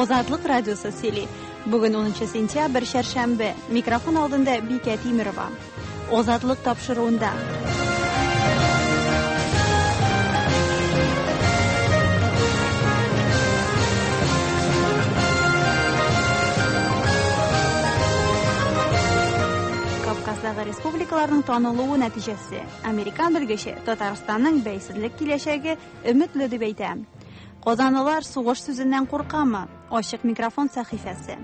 Азатлык радиосы сөйли. Бүген 10 сентябрь, чәршәмбе. Микрофон алдында Бикә Тимерова. Азатлык тапшыруында. Кавказдагы республикаларның танылуы нәтиҗәсе. Американ белгече Татарстанның бәйсезлек киләчәге өметле дип әйтә. Казанлылар сугыш сүзеннән куркамы? Ачык микрофон сәхифәсе.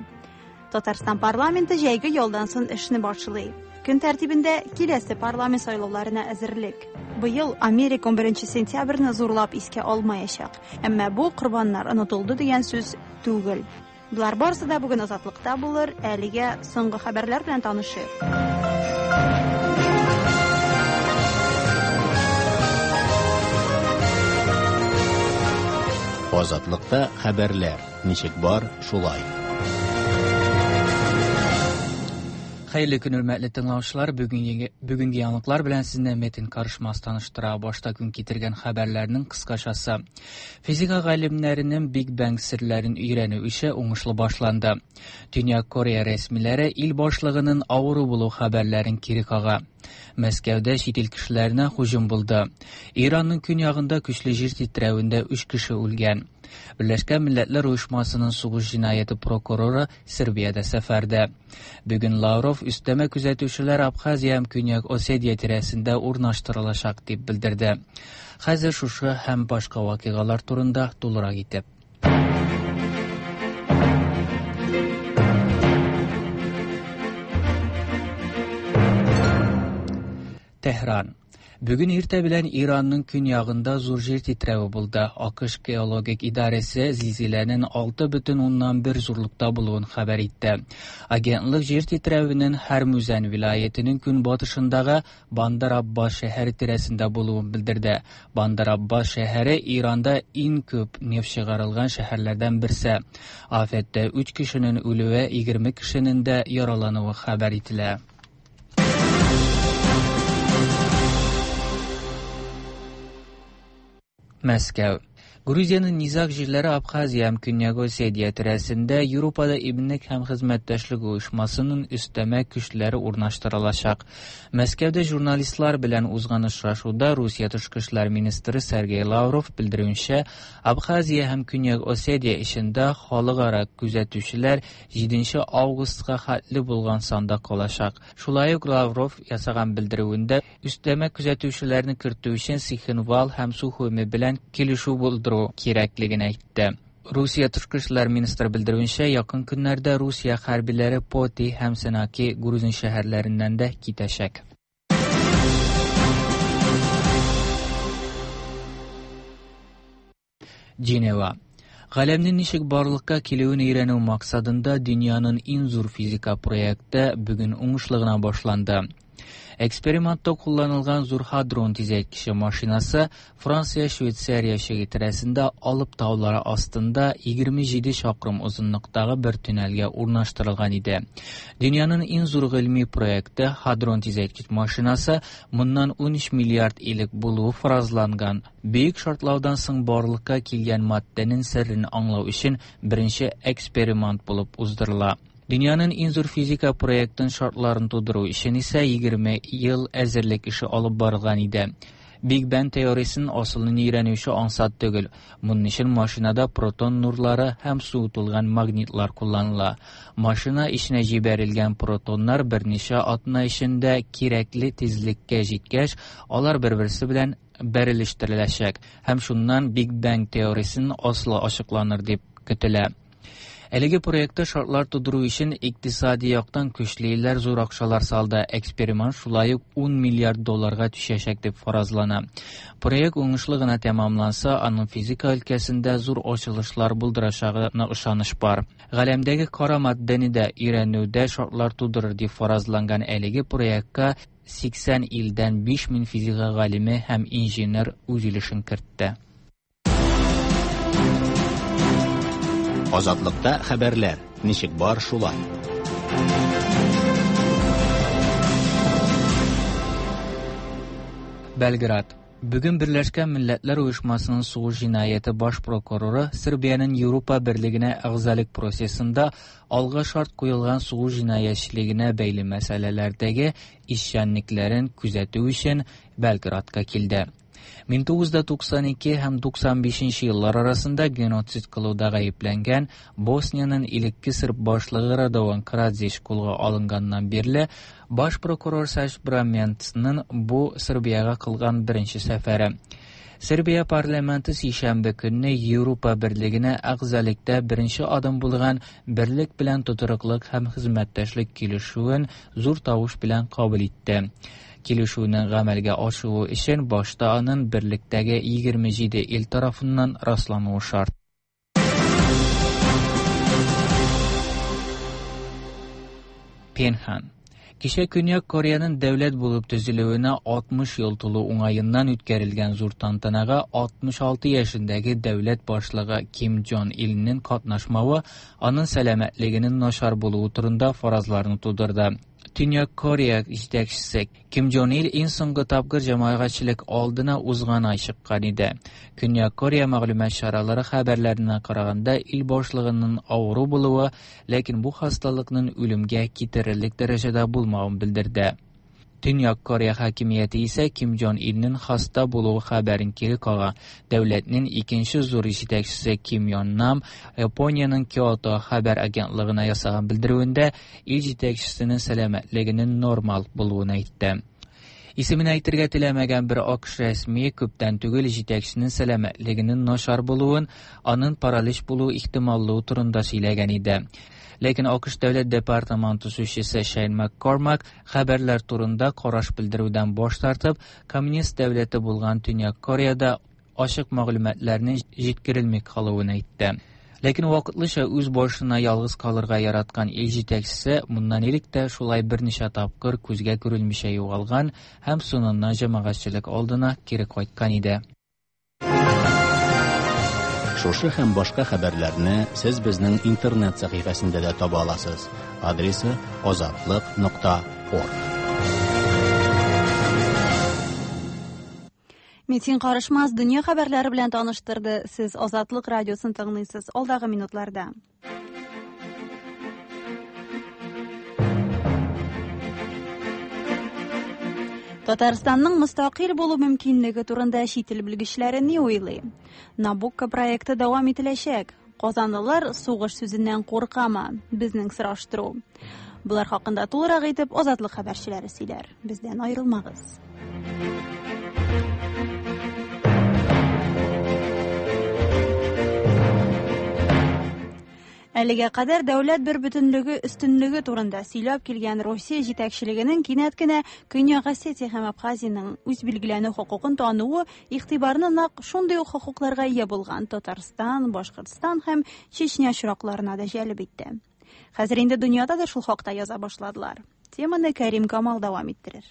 Татарстан парламенты җәйге ялдан соң эшне башлый. Көн тәртибендә киләсе парламент сайлауларына әзерлек. Быел Америка 11 сентябрьне зурлап искә алмаячак. Әмма бу корбаннар онытылды дигән сүз түгел. Болар барысы да бүген Азатлыкта булыр. Әлегә соңгы хәбәрләр белән танышыйк. Азатлыкта хәбәрләр ничек бар, шулай. Хәерле көн, хөрмәтле тыңлаучылар. Бүгенге яңалыклар белән сезне Метин Карышмас таныштыра. Башта көн китергән хәбәрләрнең кыскачасы. Физика галимнәренең Биг Бэнг серләрен өйрәнү эше уңышлы башланды. Төньяк Корея рәсмиләре ил башлыгының авыру булу хәбәрләрен кире кага. Мәскәүдә чит ил кешеләренә һөҗүм булды. Иранның көньягында көчле җир тетрәвендә 3 кеше үлгән. Берләшкән Милләтләр Оешмасының сугыш җинаяте прокуроры Сербиядә сәфәрдә. Бүген Лавров өстәмә күзәтүчеләр Абхазия һәм Көньяк Осетия тирәсендә урнаштырылачак дип белдерде. Хәзер шушы һәм башка вакыйгалар турында тулырак итеп. Тәһран. Бүген иртә белән Иранның көньягында зур җир тетрәве булды. АКШ геологик идарәсе зилзиләнең 6,1 зурлыкта булуын хәбәр итте. Агентлык җир тетрәвенең Һәрмүзән вилаятенең көнбатышындагы Бандар Аббас шәһәре тирәсендә булуын белдерде. Бандар Аббас шәһәре Иранда иң күп нефть чыгарылган шәһәрләрдән берсе. Афәттә 3 кешенең үлүе, 20 кешенең дә яралануы хәбәр ителә. Мәскәү. Грузиянең низаг җирләре Абхазия һәм Көньяк Осетия тирәсендә Европада иминлек һәм хезмәттәшлек оешмасының өстәмә көчләре урнаштырылачак. Мәскәүдә журналистлар белән узган очрашуда Русия тышкы эшләр министры Сергей Лавров белдерүенчә, Абхазия һәм Көньяк Осетия эчендә халыкара күзәтүчеләр 7 августка хәтле булган санда калачак. Шулай ук Лавров ясаган белдерүендә өстәмә күзәтүчеләрне кертү өчен Цхинвал һәм Сухуми белән килешү булдыру кирәклеген әйтте. Русия тышкы эшләр министры белдерүенчә, якын көннәрдә Русия хәрбиләре Поти һәм Сенаки грузин шәһәрләреннән дә китәчәк. Женева. Галәмнең ничек барлыкка килүен өйрәнү максатында дөньяның иң зур физика проекты бүген уңышлы гына башланды. Экспериментта кулланылган зур хадрон тизәйткече машинасы Франция-Швейцария чиге тирәсендә Алып таулары астында 27 чакрым озынлыктагы бер туннельгә урнаштырылган иде. Дөньяның иң зур гыйльми проекты хадрон тизәйткеч машинасы моннан 13 миллиард элек булуы фаразланган Бөек шартлаудан соң барлыкка килгән матдәнең серен аңлау өчен беренче эксперимент булып уздырыла. Дөньяның иң зур физика проектын шартларын тудыру өчен исә 20 ел әзерлек эше алып барылган иде. Биг Бен теориясен асылын өйрәнүче ансат түгел. Моның өчен машинада протон нурлары һәм суытылган магнитлар кулланыла. Машина эченә җибәрелгән протоннар берничә атна эчендә кирәкле тизлеккә җиткәч, алар бер-берсе белән бәрелештереләчәк һәм шуннан Биг Бэнг теориясенең асылы ачыкланыр дип көтелә. Әлеге проектта шартлар тудыру өчен икътисади яктан көчле илләр зур акчалар салды. Эксперимент шулай ук 10 миллиард долларга төшәчәк дип фаразлана. Проект уңышлы гына тәмамланса, аның физика өлкәсендә зур ачылышлар булдырачагына ышаныч бар. Галәмдәге кара матдәне дә өйрәнүдә шартлар тудырыр дип фаразланган әлеге проектка 80 илдән 5000 физика галиме һәм инженер үз өлешен кертте. Азатлыкта хәбәрләр ничек бар шулай. Белград. Бүген Берләшкән Милләтләр Оешмасының сугыш җинаяте баш прокуроры Сербиянең Европа Берлегенә әгъзалык процессында алга шарт куелган сугыш җинаятьчелегенә бәйле мәсьәләләрдәге эшчәнлекләрен күзәтү өчен Белградка килде. 1992 һәм 95 еллар арасында геноцид кылуда гаепләнгән Босниянең элекке серб башлыгы Радован Караджич кулга алынганнан бирле баш прокурор Саш Браменцның бу Сербиягә кылган беренче сәфәре. Сербия парламенты сишәмбе көнне Европа Берлегенә әгъзалыкта беренче адым булган Берлек белән тотрыклык һәм хезмәттәшлек килешүен зур тавыш белән кабул итте. Килешүнең гамәлгә ашуы өчен башта аның берлектәге 27 ил тарафыннан раслануы шарт. Пенхан. Кичә Көньяк Кореяның дәүләт булып төзелүенә 60 ел тулу уңаеннан үткәрелгән зур тантанага 66 яшендәге дәүләт башлыгы Ким Джон Илнең катнашмавы аның сәламәтлегенең начар булуы турында фаразларны тудырды. Төньяк Корея җитәкчесе Ким Джон Ил иң соңгы тапкыр җәмәгатьчелек алдына узган ай чыккан иде. Көньяк Корея мәгълүмат чаралары хәбәрләренә караганда, ил башлыгының авыру булуы, ләкин бу хасталыкның үлемгә китерерлек дәрәҗәдә булмавын белдерде. Төньяк Корея хакимияте исә Ким Джон Илнең хаста булуы хәбәрен кире кага. Дәүләтнең икенче зур җитәкчесе Ким Йон Нам Япониянең Киото хәбәр агентлыгына ясаган белдерүендә ил җитәкчесенең сәламәтлегенең нормал булуын әйтте. Исемен әйтергә теләмәгән бер АКШ рәсмие күптән түгел җитәкченең сәламәтлегенең начар булуын, аның паралич булу ихтималлыгы турында сөйләгән иде. Ләкин АКШ дәүләт департаменты сүзчесе Шейн МакКормак хәбәрләр турында караш белдерүдән баш тартып, коммунист дәүләте булган Төньяк Кореяда ачык мәгълүматларның җиткерелми калуын әйтте. Ләкин вакытлыча үз башына ялгыз калырга яраткан ил җитәкчесе моннан элек тә шулай берничә тапкыр күзгә күренмичә югалган һәм соңыннан җәмәгатьчелек алдына кире кайткан иде. Шушы һәм башка хәбәрләрне сез безнең интернет сәхифәсендә дә таба аласыз. Адресы azatliq.org. Метин Карышмас дөнья хәбәрләре белән таныштырды. Сез Азатлык радиосын тыңлыйсыз. Алдагы минутларда. Татарстанның мөстәкыйль булу мөмкинлеге турында чит ил белгечләре ни уйлый? Набукко проекты дәвам ителәчәк. Казанлылар сугыш сүзеннән куркамы? Безнең сораштыру. Булар хакында тулырак итеп Азатлык хәбәрчеләре сөйләр. Бездән аерылмагыз. Әлегә кадәр дәүләт бер бөтенлеге өстенлеге турында сөйләп килгән Россия җитәкчелегенең кинәт кенә Көньяк Осетия һәм Абхазиянең үз билгеләнү хокукын тануы игътибарны нәкъ шундый ук хокукларга ия булган Татарстан, Башкортстан һәм Чечня очракларына да җәлеп итте. Хәзер инде дөньяда да шул хакта яза башладылар. Теманы Кәрим Камал дәвам иттерер.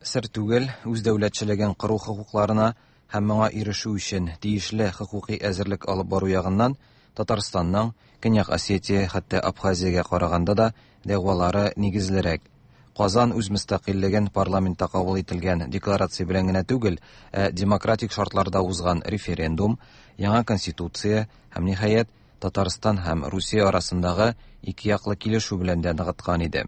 Сер түгел, үз дәүләтчелеген кору хокукларына һәм моңа ирешү өчен тиешле хокукый әзерлек алып бару ягыннан Татарстанның Көньяк Осетия, хәтта Абхазиягә караганда да дәгъвалары нигезлерәк. Казан үз мөстәкыйльлеген парламентта кабул ителгән декларация белән генә түгел, ә демократик шартларда узган референдум, яңа конституция һәм ниһаять Татарстан һәм Русия арасындагы ике яклы килешү белән дә ныгыткан иде.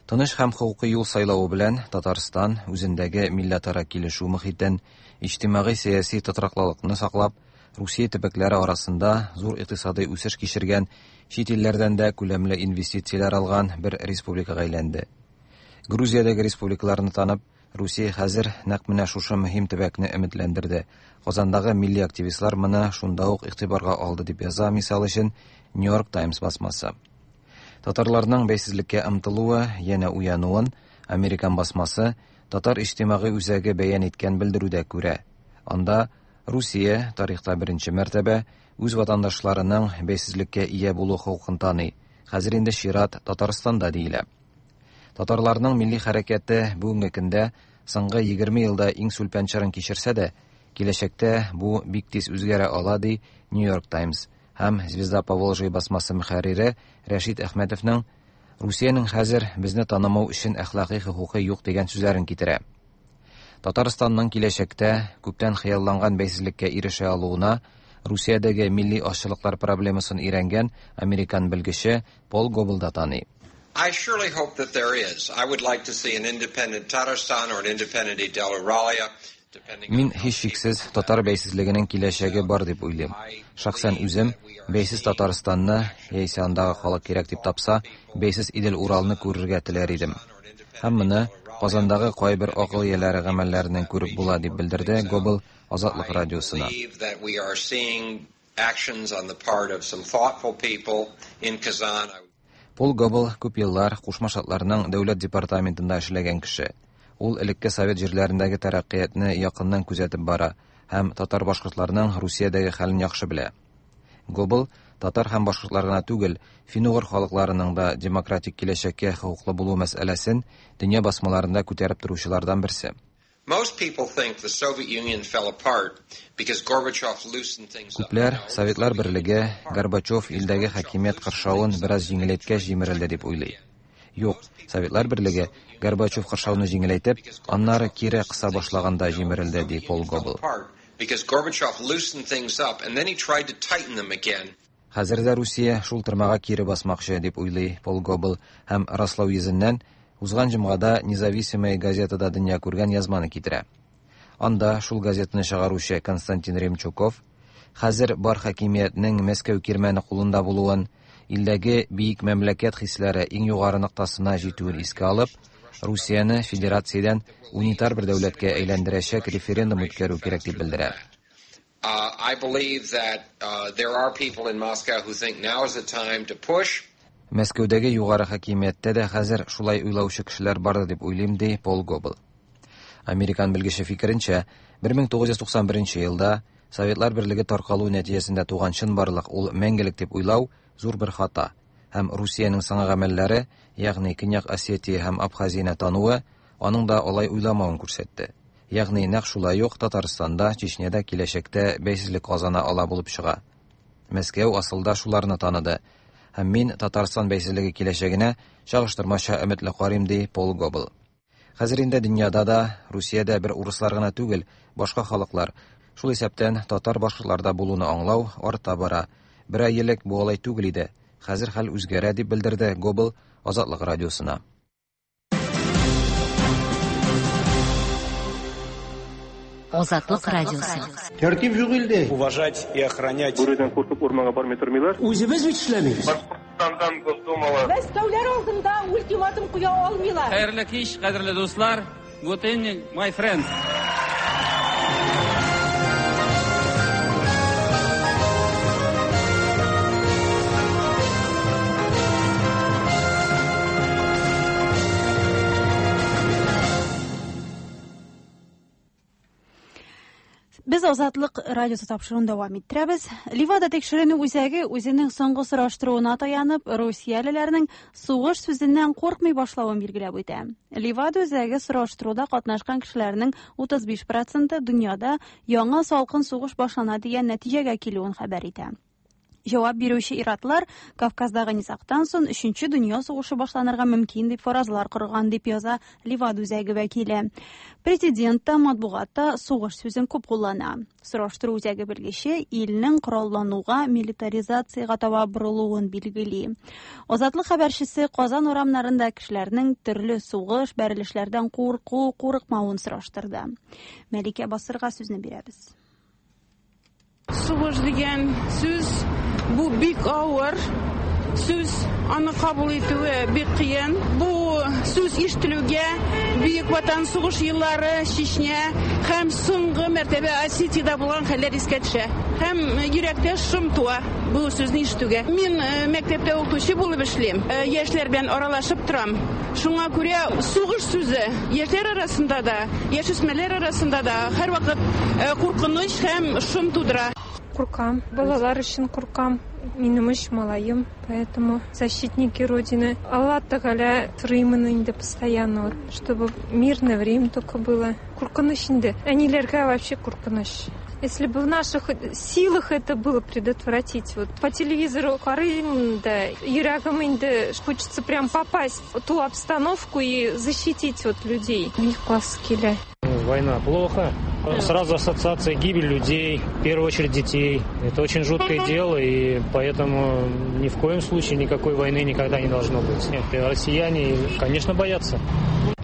Тыныч һәм хокукый юл сайлавы белән Татарстан үзендәге милләтара килешү мохитен, иҗтимагый-сәяси тотрыклылыкны саклап, Русия төбәкләре арасында зур икътисадый үсеш кичергән, чит илләрдән дә күләмле инвестицияләр алган бер республикага әйләнде. Грузиядәге республикаларны танып, Русия хәзер нәкъ менә шушы мөһим төбәкне өметләндерде. Казандагы милли активистлар моны шунда ук игътибарга алды дип яза, мисал өчен, New York Times басмасы. Татарларның бәйсезлеккә омтылуы, янә уянуын Американ басмасы Татар иҗтимагый үзәге бәян иткән белдерүдә күрә. Анда Русия тарихта беренче мәртәбә үз ватандашларының бәйсезлеккә ия булу хокукын таный. Хәзер инде чират Татарстанда диелә. Татарларның милли хәрәкәте бүгенге көндә соңгы 20 елда иң сүлпән чорын кичерсә дә, киләчәктә бу бик тиз үзгәрә ала, ди New York Times һәм Звезда Поволжья басмасы мөхәррире Рәшит Әхмәтовның Русиянең хәзер безне танымау өчен әхлакый хокукы юк дигән сүзләрен китерә. Татарстанның киләчәктә күптән хыялланган бәйсезлеккә ирешә алуына Русиядәге милли азчылыклар проблемасын өйрәнгән американ белгече Пол Гобл да таный. I surely hope that there is. I would like to see an independent Tatarstan or an independent Idel-Uralia. Мин һичшиксез татар бәйсезлегенең киләчәге бар дип уйлыйм. Шәхсән үзем бәйсез Татарстанны, яисә андагы халык кирәк дип тапса, бәйсез Идел-Уралны күрергә теләр идем. Һәм моны Казандагы кайбер акыл ияләре гамәлләреннән күреп була, дип белдерде Гобл Азатлык радиосына. Пол Гобл күп еллар Кушма Штатларның Дәүләт департаментында эшләгән кеше. Ул элекке совет җирләрендәге тәрәккыятьне якыннан күзәтеп бара һәм татар-башкортларның Русиядәге хәлен яхшы белә. Гобл татар һәм башкортлар гына түгел, фин-угыр халыкларының да демократик киләчәккә хокуклы булу мәсьәләсен дөнья басмаларында күтәреп торучылардан берсе. Күпләр Советлар Берлеге Горбачев илдәге хакимият кыршавын бераз җиңеләйткәч җимерелде дип уйлый. Юк, Советлар Берлеге Горбачев кыршауны җиңеләйтеп, аннары кире кыса башлаганда җимерелде, ди Пол Гобл. Хәзер дә Русия шул тырмага кире басмакчы, дип уйлый Пол Гобл һәм раслау йөзеннән узган җомгада Независимая газетада дөнья күргән язманы китерә. Анда шул газетаны чыгаручы Константин Ремчуков хәзер бар хакимиятнең Мәскәү кирмәне кулында булуын, илдәге биек мәмләкәт хисләре иң югары ноктасына җитүен искә алып, Русияне федерациядән унитар бер дәүләткә әйләндерәчәк референдум үткәрү кирәк дип белдерә. Мәскәүдәге югары хакимияттә дә хәзер шулай уйлаучы кешеләр бар дип уйлыйм, ди Пол Гобл. Американ белгече фикеренчә, 1991 елда Советлар Берлеге таркалу нәтиҗәсендә туган чынбарлык ул мәңгелек дип уйлау зур бер хата һәм Русиянең соңгы гамәлләре, ягъни Көньяк Осетия һәм Абхазияне тануы, аның да алай уйламавын күрсәтте. Ягъни нәкъ шулай ук Татарстанда, Чечняда киләчәктә бәйсезлек казана ала булып чыга. Мәскәү асылда шуларны таныды. Һәм мин Татарстан бәйсезлеге киләчәгенә чагыштырмача өметле карыйм, ди Пол Гобл. Хәзер инде дөньяда да, Русиядә бер урыслар гына түгел, башка халыклар, шул исәптән татар-башкортлар да булуны аңлау арта бара. Бер ай элек бу алай түгел иде. Хәзер хәл үзгәрә, дип белдерде Гобл Азатлык радиосына. Азатлык радиосы. Тәртип юк илдә. Уважать и охранять. Бүредән куркып урманга бармый тормыйлар. Үзебез бит эшләмибез. Башкортстандан Госдумала. Мәскәүләр алдында ультиматум куя алмыйлар. Хәерле кич, кадерле дуслар. Good evening, my friends. Без Азатлык радиосы тапшыруын дәвам иттерәбез. Ливада тикшеренү үзәге үзенең соңгы сораштыруына таянып, русиялеләрнең сугыш сүзеннән куркмый башлавын билгеләп үтә. Ливада үзәге сораштыруда катнашкан кешеләрнең 35% дөньяда яңа салкын сугыш башлана дигән нәтиҗәгә килүен хәбәр итә. Җавап бирүче иратлар Кавказдагы низагтан соң Өченче дөнья сугышы башланырга мөмкин дип фаразлар корган дип яза Ливада үзәге вәкиле. Президент та матбугатта сугыш сүзен күп куллана. Сораштыру үзәге белгече илнең кораллануга, милитаризациягә таба борылуын билгели. Азатлык хәбәрчесе Казан урамнарында кешеләрнең төрле сугыш, бәрелешләрдән курку, курыкмавын сораштырды. Мәликә Басырга сүзне бирәбез. Сугыш дигән сүз бу бик авыр сүз, аны кабул итүе бик кыен. Бу сүз ишетелүгә Бөек Ватан сугыш еллары, Чечня һәм соңгы мәртәбә Осетиядә булган хәлләр искә төшә. Һәм йөрәктә шом туа бу сүзне ишетүгә. Мин мәктәптә укытучы булып эшлим. Яшьләр белән аралашып торам. Шуңа күрә сугыш сүзе яшьләр арасында да, яшүсмерләр арасында да һәрвакыт куркыныч һәм шом тудыра. Куркам, балалар өчен куркам. Минем өч малаем, поэтому защитники Родины. Алла Тәгалә сорыймын инде постоянно, вот, чтобы мирное время только было. Куркыныч инде. Әниләргә вообще куркыныч. Если бы в наших силах это было предотвратить. Вот по телевизору карыйм да, йөрәгем инде хочется прям попасть в ту обстановку и защитить вот людей. Бик кас килә. Война плохо. Сразу ассоциация гибель людей, в первую очередь детей. Это очень жуткое дело, и поэтому ни в коем случае никакой войны никогда не должно быть. Нет, россияне, конечно, боятся.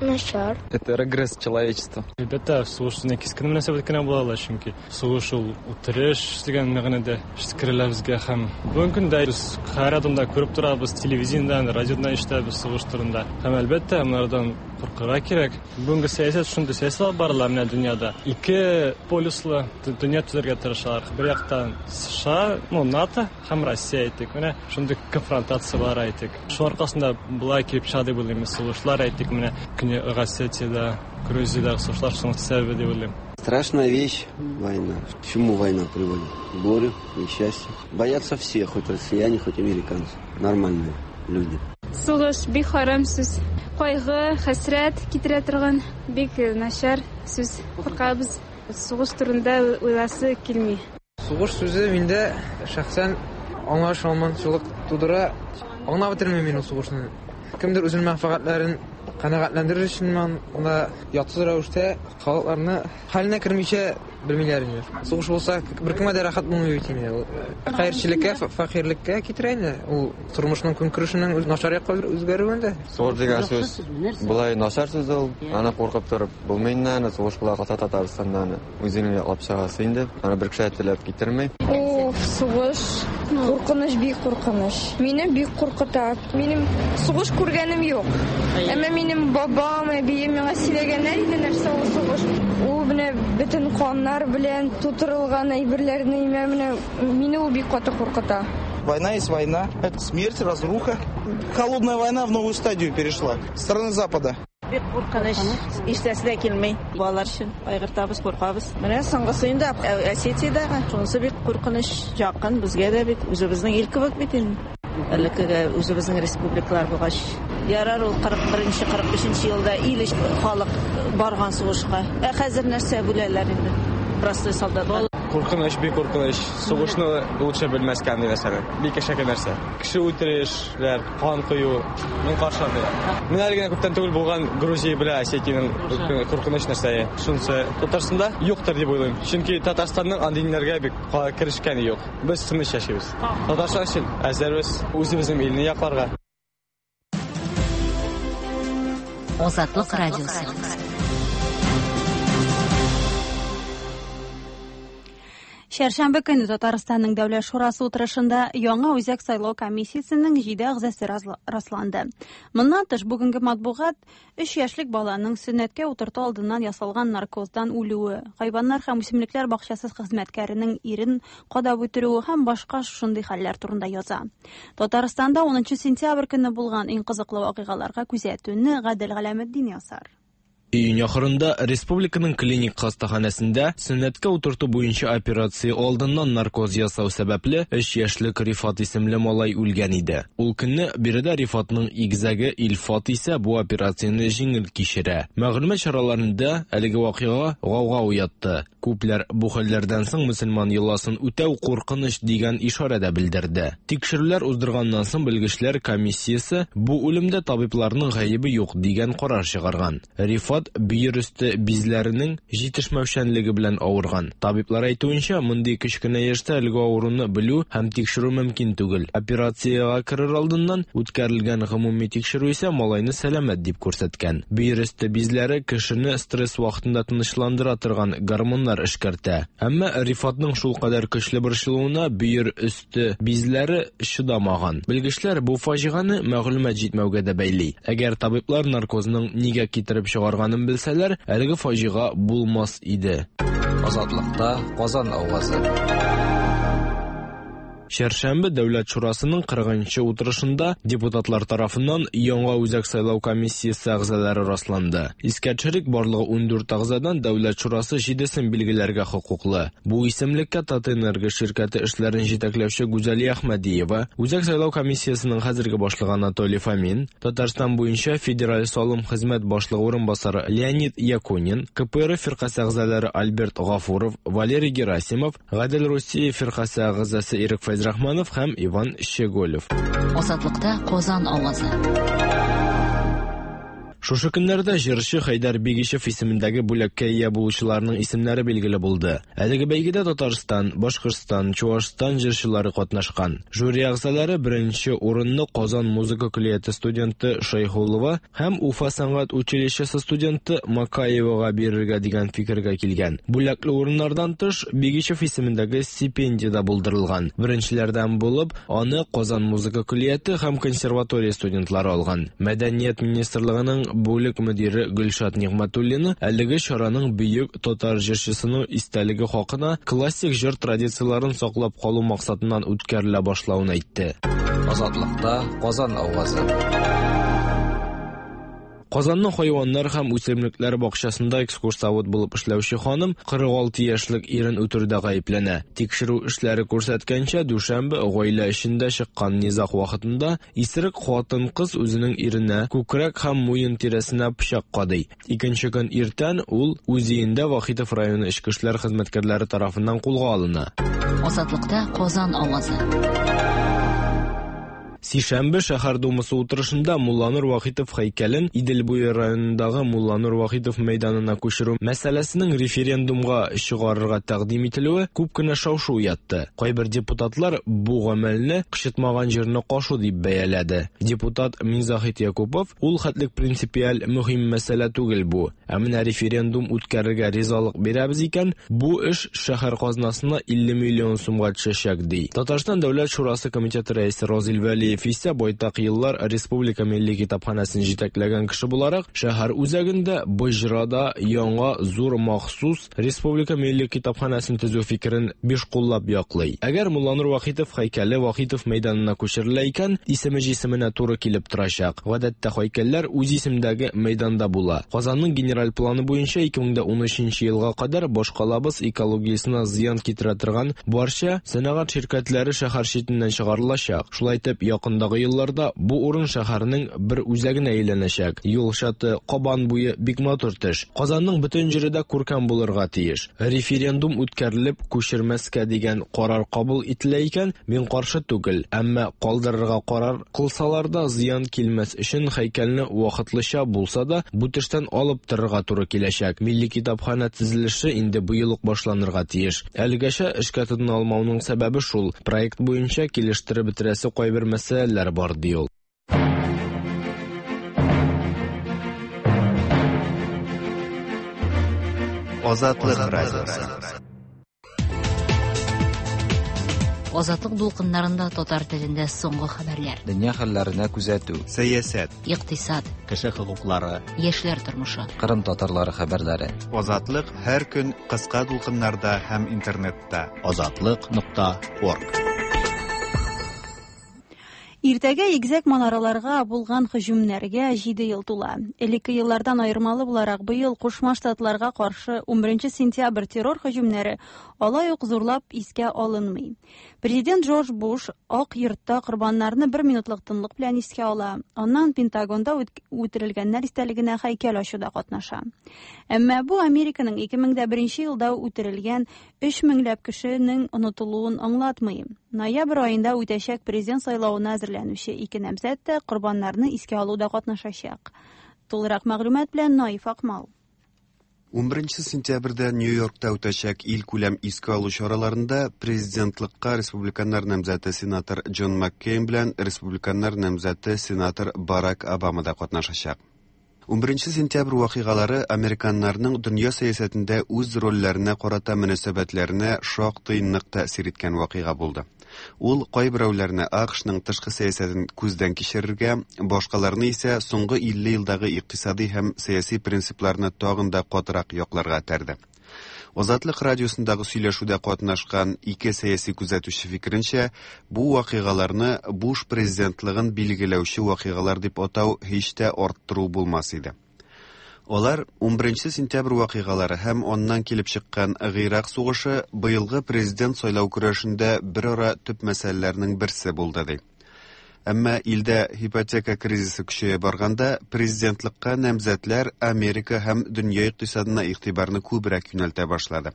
Начар. Это регресс человечества. Әлбәттә, сугыш сүзенә кискен мөнәсәбәт кенә була ала, чөнки сугыш ул үтереш дигән мәгънәдә җиткерелә безгә һәм бүгенге көндә без һәр адымда күреп торабыз, телевидениедән, радиодан ишетәбез сугыш турында. Һәм әлбәттә, монардан куркырга кирәк. Бүгенге сәясәт шундый сәясәт алып барыла менә дөньяда. Ике полюслы дөнья төзергә тырышалар. Бер яктан США, ну, НАТО һәм Россия әйтик. Менә шундый конфронтация бар әйтик. Шул аркасында болай килеп чыга дип уйлыйм. Сугышлар әйтик, менә Көньяк Осетиядә, Грузиядәге сугышлар шуның сәбәбе дип уйлыйм. Страшная вещь война. К чему война приводит? К горю, несчастью. Боятся все, хоть россияне, хоть американцы. Нормальные люди. Сугыш бик харам сүз. Кайгы, хәсрәт китерә торган бик начар сүз. Куркабыз. Сугыш турында уйласы килми. Сугыш сүзе миндә шәхсән аңлашылмаучылык тудыра. Аңлап бетермим мин ул сугышны. Кемдер үзенең мәнфәгатьләрен канәгатьләндерер өчен монда ятсыз рәвештә халыкларны хәленә кермичә белмиләр инде. Сугыш булса, беркемгә дә рәхәт булмый бит инде. Ул хәерчелеккә, фәкыйрьлеккә китерә инде. Ул тормышның көнкүрешенең начар якка үзгәрүендә. Сугыш дигән сүз болай начар сүз ул. Аны куркып торып булмый инде, аны сугыш була калса Татарстанда аны үзеңне яклап чыгасы инде. Аны бер кеше дә теләп китерми. Уф, сугыш. Куркыныч, бик куркыныч. Мине бик куркыта. Минем сугыш күргәнем юк. Әмма минем бабам, әбием миңа сөйләгәннәр иде, нәрсә ул сугыш. Ул менә бөтен каннар белән тутырылган әйберләрне, менә мине ул бик каты куркыта. Война есть война. Это смерть, разруха. Холодная война в новую стадию перешла. Страны Запада. Бик куркыныч, ишетәсе дә килми. Балалар өчен кайгыртабыз, куркабыз. Менә соңгысы инде Осетиядәге. Шунысы бик куркыныч, якын безгә дә бит, үзебезнең ил кебек бит инде. Элеккеге үзебезнең республикалар булгач. Ярар ул 41-нче, 45-нче елда ил халык барган сугышка. Ә хәзер нәрсә бүләләр инде? Простой солдатлар. Куркыныч, бик куркыныч. Сугышны лучше белмәскә андый нәрсәне. Бик әшәке нәрсә. Кеше үтерешләр, кан кою, мин каршы андыйга. Менә әле генә күптән түгел булган Грузия белән Осетиянең куркыныч нәрсә. Шунысы Татарстанда юктыр дип уйлыйм. Чөнки Татарстанның андый ниләргә бик керешкәне юк. Без тыныч яшибез. Татарстан өчен әзербез үзебезнең илне якларга. Азатлык радиосы. Чәршәмбе көне Татарстанның Дәүләт шурасы утырышында яңа үзәк сайлау комиссиясенең 7 әгъзасы расланды. Моннан тыш бүгенге матбугат 3 яшьлек баланың сөннәткә утырту алдыннан ясалган наркоздан үлүе, хайваннар һәм үсемлекләр бакчасы хезмәткәренең ирен кадап үтерүе һәм башка шундый хәлләр турында яза. Татарстанда 10 сентябрь көне булган иң кызыклы вакыйгаларга күзәтүне Гадел Галәметдин ясар. Июнь ахырында республиканың клиник хастаханәсендә сөннәткә утырту буенча операция алдыннан наркоз ясау сәбәпле 3 яшьлек Рифат исемле малай үлгән иде. Ул көнне биредә Рифатның игезәге Илфат исә бу операцияне җиңел кичерә. Мәгълүмат чараларында әлеге вакыйга гауга уятты. Күпләр бу хәлләрдән соң мөселман йоласын үтәү куркыныч дигән ишарә дә белдерде. Тикшерүләр уздырганнан соң белгечләр комиссиясе бу үлемдә табибларның гаебе юк дигән карар чыгарган. Рифат бөер өсте бизләренең җитешмәүчәнлеге белән авырган. Табиблар әйтүенчә, мондый кечкенә яшьтә әлеге авыруны белү һәм тикшерү мөмкин түгел. Операциягә керер алдыннан үткәрелгән гомуми тикшерү исә малайны сәламәт дип күрсәткән. Бөер өсте бизләре кешене стресс вакытында тынычландыра торган гормоннар эшкәртә. Әмма Рифатның шулкадәр көчле борчылуына бөер өсте бизләре чыдамаган. Белгечләр бу фаҗигане мәгълүмат җитмәүгә дә бәйли. Әгәр табиблар наркозның нигә китереп чыгарганын белсәләр, әлеге фаҗига булмас иде. Азатлыкта Казан авазы. Чәршәмбе Дәүләт шурасының 40-нчы утырышында депутатлар тарафыннан яңа үзәк сайлау комиссиясе әгъзалары расланды. Искә төшерик, барлыгы 14 әгъзадан Дәүләт шурасы 7-сен билгеләргә хокуклы. Бу исемлеккә Татэнерго ширкәте эшләрен җитәкләүче Гүзәлия Әхмәдиева, Үзәк сайлау комиссиясенең хәзерге башлыгы Анатолий Фомин, Татарстан буенча Федераль салым хезмәт башлыгы урынбасары Леонид Якунин, КПРФ фиркасе әгъзалары Альберт Гафуров, Валерий Герасимов, Гадел Русия фиркасе әгъзасы Ирек Фәйзрахманов һәм Иван Щеголев. Азатлыкта Казан авазы. Шушы көннәрдә җырчы Хәйдәр Бигичев исемендәге бүләккә ия булучыларның исемнәре билгеле булды. Әлеге бәйгедә Татарстан, Башкортстан, Чуашстан җырчылары катнашкан. Жюри әгъзалары беренче урынны Казан музыка көллияте студенты Шәйхуллова һәм Уфа сәнгать училищесы студенты Макаевага бирергә дигән фикергә килгән. Бүләкле урыннардан тыш, Бигичев исемендәге стипендия дә булдырылган. Беренчеләрдән булып, аны Казан музыка көллияте һәм консерватория студентлары алган. Мәдәният министрлыгының бүлек мөдире Гөлшат Нигъмәтуллина әлеге чараның бөек татар җырчысының истәлеге хакына классик җыр традицияләрен саклап калу максатыннан үткәрелә башлавын әйтте. Азатлыкта Казан авазы. Казанның хайваннар һәм үсемлекләр бакчасында экскурсовод булып эшләүче ханым 46 яшьлек ирен үтерүдә гаепләнә. Тикшерү эшләре күрсәткәнчә, дүшәмбе гаилә эчендә чыккан низаг вакытында исерек хатын-кыз үзенең иренә күкрәк һәм муен тирәсенә пычак кадый. Икенче көн иртән ул үз өендә Вахитов районы эчке эшләр хезмәткәрләре тарафыннан кулга алына. Азатлыкта Казан авазы. Сишәмбе шәһәр думасы утырышында Мулланур Вахитов һәйкәлен Идел буе районындагы Мулланур Вахитов мәйданына күчерү мәсьәләсенең референдумга чыгарырга тәкъдим ителүе күп кенә шау-шу уятты. Кайбер депутатлар бу гамәлне кычытмаган җирне кашу дип бәяләде. Депутат Минзаһит Якупов ул хәтлек принципиаль мөһим мәсьәлә түгел бу. Ә менә референдум үткәрергә ризалык бирәбез икән, бу эш шәһәр казнасына 50 миллион сумга төшәчәк, ди. Татарстан Дәүләт шурасы комитеты рәисе Разил Вәлиев исә байтак еллар Республика милли китапханәсен җитәкләгән кеше буларак, шәһәр үзәгендә Боҗрада яңа зур махсус Республика милли китапханәсен төзү фикерен бишкуллап яклый. Әгәр Мулланур Вахитов һәйкәле Вахитов мәйданына күчерелә икән, исеме җисеменә туры килеп торачак. Гадәттә һәйкәлләр үз исемдәге мәйданда була. Казанның генераль планы буенча 2013 елга кадәр башкалабыз экологиясенә зыян китерә торган барча сәнәгать ширкәтләре шәһәр читеннән чыгарылачак. Шулай итеп, якындагы елларда бу урын шәһәрнең бер үзәгенә әйләнәчәк. Юл чаты, Кабан буе бик матур төш. Казанның бөтен җире дә күркәм булырга тиеш. Референдум үткәрелеп, күчермәскә дигән карар кабул ителә икән, мин каршы түгел. Әмма калдырырга карар кылсалар да, зыян килмәс өчен һәйкәлне вакытлыча булса да бу төштән алып торырга туры киләчәк. Милли китапханә төзелеше инде быел ук башланырга тиеш. Әлегәчә эшкә тотына алмауның сәбәбе шул, проект буенча килештереп бетерәсе кайбер мәсьәләләр бар, ди ул. Азатлык радиосы. Азатлык дулкыннарында татар телендә соңгы хәбәрләр. Дөнья хәлләренә күзәтү. Сәясәт. Икътисад. Кеше хокуклары. Яшьләр тормышы. Кырым татарлары хәбәрләре. Азатлык һәр көн кыска дулкыннарда һәм интернетта. Азатлык.орг. Иртәгә игезәк манараларга булган һөҗүмнәргә 7 ел тула. Элекке еллардан аермалы буларак быел Кушма Штатларга каршы 11 сентябрь террор һөҗүмнәре алай ук зурлап искә алынмый. Президент Джордж Буш Ак йортта корбаннарны бер минутлык тынлык белән искә ала. Аннан Пентагонда үтерелгәннәр истәлегенә һәйкәл ачуда катнаша. Әмма бу Американың 2001 елда үтерелгән 3 меңләп кешенең онытылуын аңлатмый. Ноябрь аенда үтәчәк президент сайлавына әзерләнүче ике намзәт тә корбаннарны искә алуда катнашачак. Тулырак мәгълүмат белән Наиф Акмал. 11 сентябрьдә Нью-Йоркта үтәчәк илкүләм искә алу чараларында президентлыкка республиканнар намзәте сенатор Джон Маккейн белән республиканнар намзәте сенатор Барак Обама да катнашачак. 11 сентябрь вакыйгалары американнарның дөнья сәясәтендә үз рольләренә карата мөнәсәбәтләренә шактый нык тәэсир иткән вакыйга булды. Ул кайберәүләрне АКШның тышкы сәясәтен күздән кичерергә, башкаларны исә соңгы 50 елдагы икътисади һәм сәяси принципларны тагын да катырак якларга этәрде. Азатлык радиосындагы сөйләшүдә катнашкан ике сәяси күзәтүче фикеренчә, бу вакыйгаларны Буш президентлыгын билгеләүче вакыйгалар дип атау һич тә арттыру булмас иде. Алар 11 сентябрь вакыйгалары һәм аннан килеп чыккан Гыйрак сугышы быелгы президент сайлау көрәшендә бер ара төп мәсьәләләрнең берсе булды ди. Әмма илдә ипотека кризисы көчәя барганда, президентлыкка намзәтләр Америка һәм дөнья икътисадына игътибарны күбрәк юнәлтә башлады.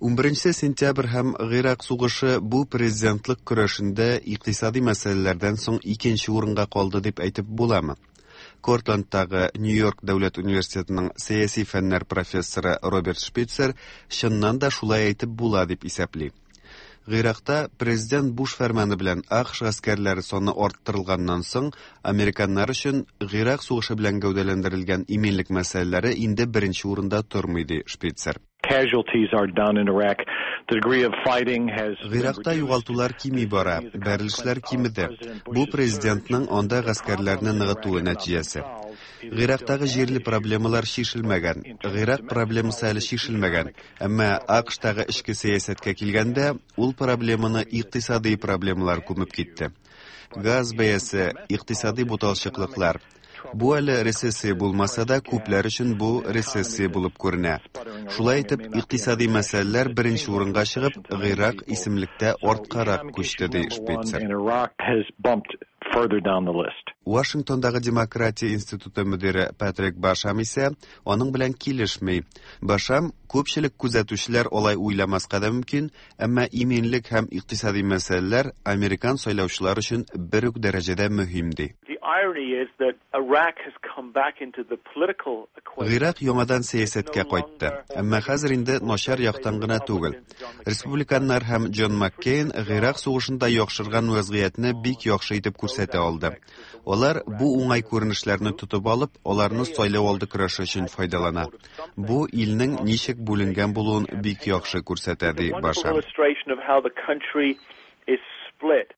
11 сентябрь һәм Гыйрак сугышы бу президентлык көрәшендә икътисади мәсьәләләрдән соң икенче урынга калды дип әйтеп буламы? Кортландтагы Нью-Йорк дәүләт университетының сәяси фәннәр профессоры Роберт Шпицер чыннан да шулай әйтеп була дип исәпли. Гыйракта президент Буш фәрманы белән АКШ гаскәрләре саны арттырылганнан соң, американнар өчен Гыйрак сугышы белән гәүдәләндерелгән иминлек мәсьәләләре инде беренче урында тормый, ди Шпицер. Casualties are down in Iraq. The degree of fighting has Гыйракта югалтулар кими бара, бәрелешләр кимеде. Бу президентның анда гаскәрләрне ныгытуы нәтиҗәсе. Гыйрактагы җирле проблемалар чишелмәгән. Гыйрак проблемасы әле чишелмәгән. Әмма АКШтагы эчке сәясәткә килгәндә, ул проблеманы икътисадый проблемалар күмеп китте. Газ бәясе, икътисадый буталчыклыклар. Бу әле рецессия булмаса да, күпләр өчен бу рецессия булып күренә. Шулай итеп, икътисадый мәсьәләләр беренче урынга чыгып, Гыйрак исемлектә арткарак күчте, ди Шпицер. And Iraq has bumped further down the list. Вашингтондагы Демократия институты мөдире Патрик Башам исә аның белән килешми. Башам, күпчелек күзәтүчеләр алай уйламаска да мөмкин, әмма иминлек һәм икътисадый мәсьәләләр американ сайлаучылар өчен бер үк дәрәҗәдә мөһим, ди. The irony is that Iraq has come back into the political equation. Гыйрак яңадан сәясәткә кайтты, әмма хәзер инде начар яктан гына түгел. Республиканнар һәм Джон Маккейн Гыйрак сугышында яхшырган вәзгыятьне бик яхшы итеп күрсәтә алды. Алар бу уңай күренешләрне тотып алып, аларны сайлау алды көрәше өчен файдалана. Бу илнең ничек бүленгән булуын бик яхшы күрсәтә, ди Wonderful Башам. illustration of how the country is split.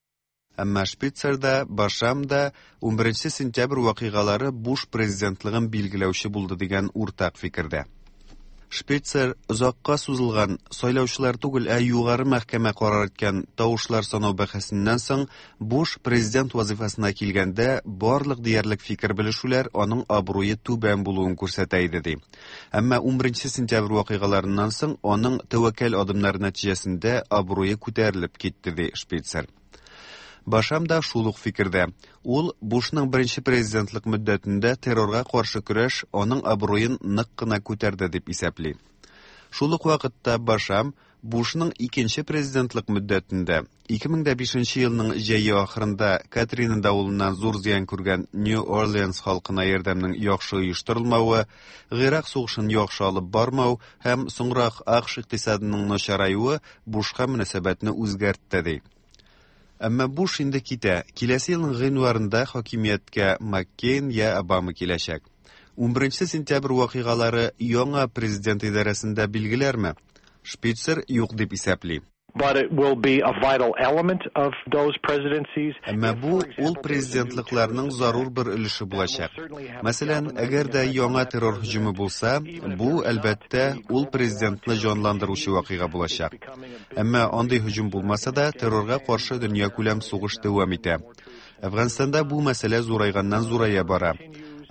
Әмма Шпицер да, Башам да 11 сентябрь вакыйгалары Буш президентлыгын билгеләүче булды дигән уртак фикердә. Шпицер озакка сузылган сайлаучылар түгел, ә югары мәхкәмә карар иткән тавышлар санау бәхәсеннән соң Буш президент вазифасына килгәндә барлык диярлек фикер белешүләр аның абруе түбән булуын күрсәтә иде ди. Әмма 11 сентябрь вакыйгаларыннан соң аның тәвәккәл адымнары нәтиҗәсендә абруе күтәрелеп китте ди Шпицер. Башам да шул ук фикердә. Ул Бушның беренче президентлык мөддәтендә террорга каршы көрәш аның абруен нык кына күтәрде дип исәпли. Шул ук вакытта Башам Бушның икенче президентлык мөддәтендә 2005 елның җәе ахырында Катрина давылыннан зур зыян күргән Нью-Орлеанс халкына ярдәмнең яхшы оештырылмавы, Гыйрак сугышын яхшы алып бармау һәм соңрак АКШ икътисадының начараюы Бушка мөнәсәбәтне үзгәртте ди. Әмма Буш инде китә. Киләсе елның гыйнварында хакимияткә Маккейн я Обама киләчәк. 11 сентябрь вакыйгалары яңа президент идарәсендә билгеләрме? Шпицер юк дип исәпли. But it will be a vital element of those presidencies. Әмма бу ул президентлыкларның зарур бер өлеше булачак. Мәсәлән, әгәр дә яңа террор һөҗүме булса, бу, әлбәттә, ул президентны җанландыручы вакыйга булачак. Әмма андый һөҗүм булмаса да, террорга каршы дөньякүләм сугыш дәвам итә. Әфганстанда бу мәсьәлә зурайганнан зурая бара.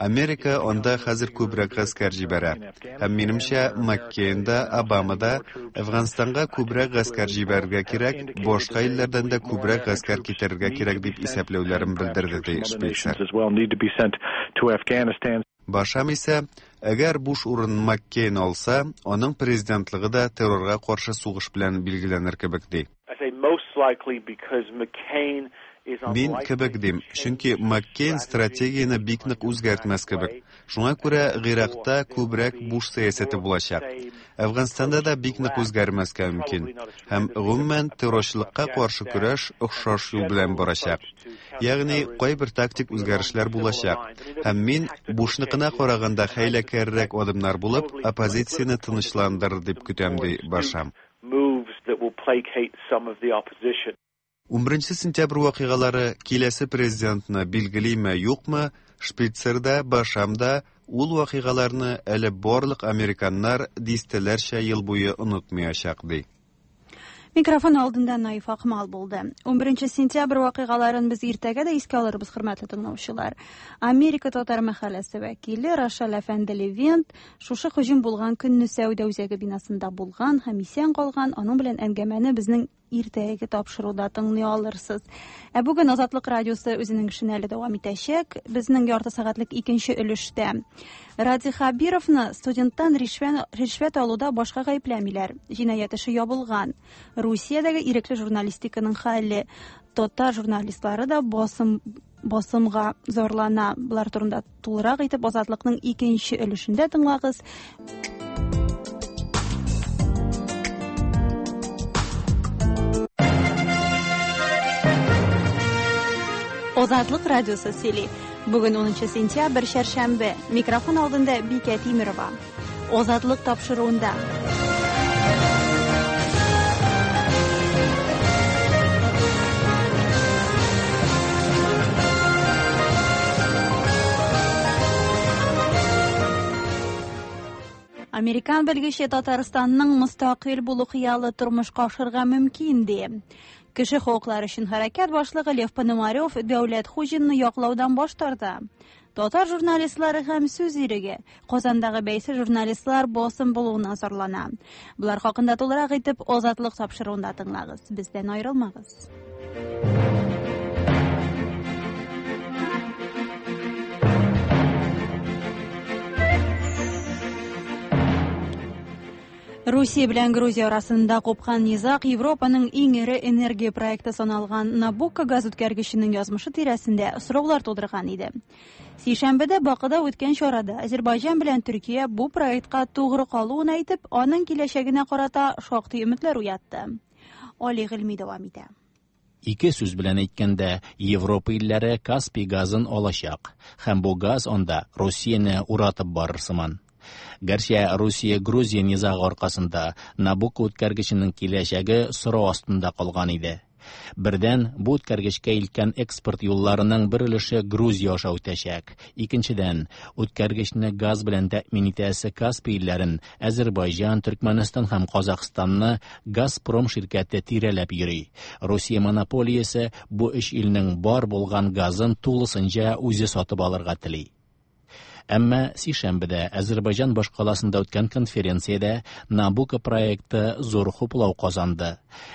Америка анда хәзер күбрәк гаскәр җибәрә. Һәм минемчә, Маккейн да, Обама да Әфганстанга күбрәк гаскәр җибәрергә кирәк, башка илләрдән дә күбрәк гаскәр китерергә кирәк дип исәпләүләрен белдерде, ди Шпицер. As well need to be sent to Afghanistan. Башам исә, әгәр Буш урынын Маккейн алса, аның президентлыгы да террорга каршы сугыш белән билгеләнер кебек ди. I say most likely because McCain is Мин unlikely кебек дим, чөнки Маккейн стратегияне бик нык үзгәртмәс кебек. Шуңа күрә Гыйракта күбрәк Буш сәясәте булачак. Әфганстанда да бик нык үзгәрмәскә мөмкин. Һәм гомумән террорчылыкка каршы көрәш охшаш юл белән барачак. Ягъни кайбер тактик үзгәрешләр булачак. Һәм мин Бушныкына караганда хәйләкәррәк адымнар булып, оппозицияне тынычландырыр дип көтәм, ди Башам. moves that will placate some of the opposition. 11 сентябрь вакыйгалары киләсе президентны билгелиме, юкмы, Шпицер да, Башам да ул вакыйгаларны әле барлык американнар дистәләрчә ел буе онытмаячак ди. Микрофон алдында Наиф Акмал булды. 11 сентябрь вакыйгаларын без иртәгә дә искә алырбыз, хөрмәтле тыңлаучылар. Америка татар мәхәлләсе вәкиле Рашал әфәнде Левент шушы һөҗүм булган көнне сәүдә үзәге бинасында булган һәм исән калган. Аның белән әңгәмәне безнең иртәге тапшыруда тыңлый алырсыз. Ә бүген Азатлык радиосы үзенең эшен әле дәвам итәчәк. Безнең ярты сәгатьлек икенче өлештә Радий Хабировны студенттан ришвәт алуда башка гаепләмиләр. Җинаять эше ябылган. Русиядәге ирекле журналистиканың хәле, татар журналистлары да басым басымга зарлана. Болар турында тулырак итеп Азатлыкның икенче өлешендә тыңлагыз. Азатлык радиосы сөйли. Бүген 10 сентябрь, чәршәмбе. Микрофон алдында Бикә Тимерова. Азатлык тапшыруында. Американ белгече Татарстанның мөстәкыйль булу хыялы тормышка ашырга мөмкин ди. Кеше хокуклары өчен хәрәкәт башлыгы Лев Пономарев Дәүләт Хуҗинны яклаудан баш тарта. Татар журналистлары һәм сүз иреге Казандагы бәйсез журналистлар басым булуына зарлана. Болар хакында тулырак итеп Азатлык тапшыруында тыңлагыз. Бездән аерылмагыз. Русия белән Грузия арасында купкан низаг Европаның иң эре энергия проекты саналган Набукко газ үткәргеченең язмышы тирәсендә сораулар тудырган иде. Сишәмбедә Бакыда үткән чарада Азербайҗан белән Төркия бу проектка тугры калуын әйтеп, аның киләчәгенә карата шактый өметләр уятты. Али Гыйльми дәвам итә. Ике сүз белән әйткәндә, Европа илләре Каспий газын алачак, һәм бу газ анда Русияне уратып барыр сыман. Гәрчә Русия-Грузия низагы аркасында Набукко үткәргеченең киләчәге сорау астында калган иде. Бердән, бу үткәргечкә илткән экспорт юлларының бер өлеше Грузия аша үтәчәк. Икенчедән, үткәргечне газ белән тәэмин итәсе Каспий илләрен, Әзербайҗан, Төркмәнстан һәм Казахстанны Газпром ширкәте тирәләп йөри. Русия монополиясе бу өч илнең бар булган газын тулысынча үзе сатып алырга тели. Әмма сишәмбедә Әзербайҗан башкаласында үткән конференциядә Набуко проекты зур хуплау казанды.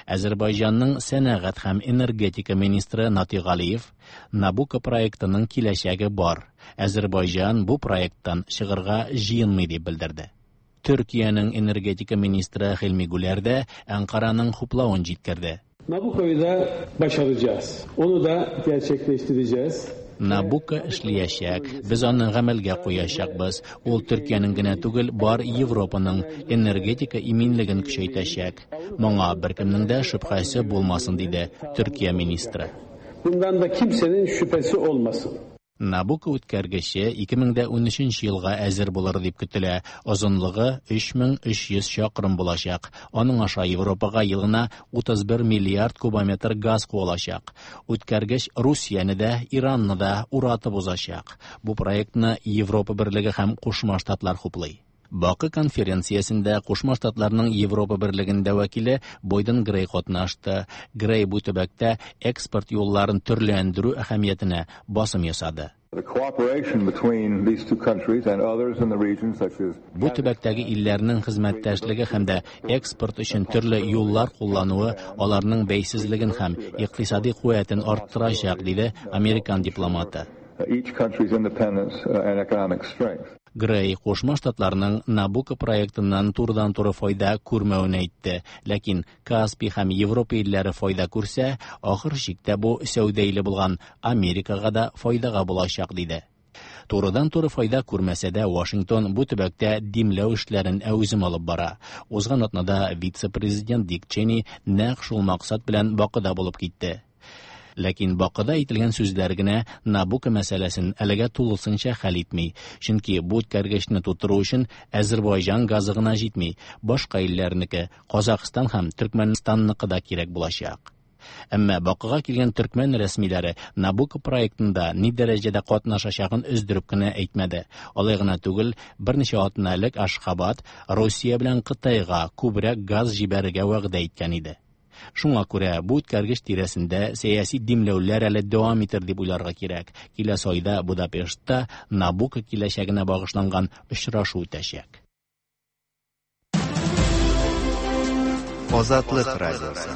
Әзербайҗанның сәнәгать һәм энергетика министры Натиг Галиев Набуко проектының киләчәге бар. Әзербайҗан бу проекттан чыгырга җыенмый дип белдерде. Төркиянең энергетика министры Хилми Гүләр дә Әнкараның хуплавын җиткерде. Nabucco'yu da başaracağız. Onu da gerçekleştireceğiz. Набуко эшләячәк, без аны гамәлгә куячакбыз. Ул Төркиянең генә түгел, бар Европаның энергетика иминлеген көчәйтәчәк. Моңа беркемнең дә шөбһәсе булмасын, диде Төркия министры. Bundan da kimsenin şüphesi olmasın. Набуко үткәргече 2013 елга әзер булыр дип көтелә. Озынлыгы 3300 чакрым булачак. Аның аша Европага елына 31 миллиард кубометр газ куылачак. Үткәргеч Русияне дә, Иранны да уратып узачак. Бу проектны Европа Берлеге һәм Кушма Штатлар хуплый. Бакы конференциясендә Кушма Штатларның Европа Берлегендә вәкиле Бойден Грей катнашты. Грей бу төбәктә экспорт юлларын төрләндерү әһәмиятенә басым ясады. Бу төбәктәге илләрнең хезмәттәшлеге һәм дә экспорт өчен төрле юллар куллануы аларның бәйсезлеген һәм икътисади куәтен арттырачак, диде американ дипломаты. Грей Кушма Штатларның Набуко проектыннан турыдан-туры файда күрмәвен әйтте, ләкин Каспий һәм Европа илләре файда күрсә, ахыр чиктә бу сәүдә иле булган Америкага да файдага булачак, диде. Турыдан-туры файда күрмәсә дә, Вашингтон бу төбәктә димләү эшләрен әүзем алып бара. Узган атнада вице-президент Дик Чени нәкъ шул максат белән Бакыда булып китте. Ләкин Бакыда әйтелгән сүзләр генә Набуко мәсьәләсен әлегә тулысынча хәл итми. Чөнки бу үткәргечне тутыру өчен Әзербайҗан газы гына җитми, башка илләрнеке, Казахстан һәм Төркмәнстанныкы да кирәк булачак. Әмма Бакыга килгән төркмән рәсмиләре Набуко проектында ни дәрәҗәдә катнашачагын өздереп кенә әйтмәде. Алай гына түгел, берничә атна элек Ашхабад Русия белән Кытайга күбрәк газ җибәрергә вәгъдә иткән иде. Шуңа күрә бу үткәргеч тирәсендә сәяси димләүләр әле дәвам итер дип уйларга кирәк. Киләсе айда Будапештта Набуко киләчәгенә багышланган очрашу үтәчәк. Азатлык радиосы.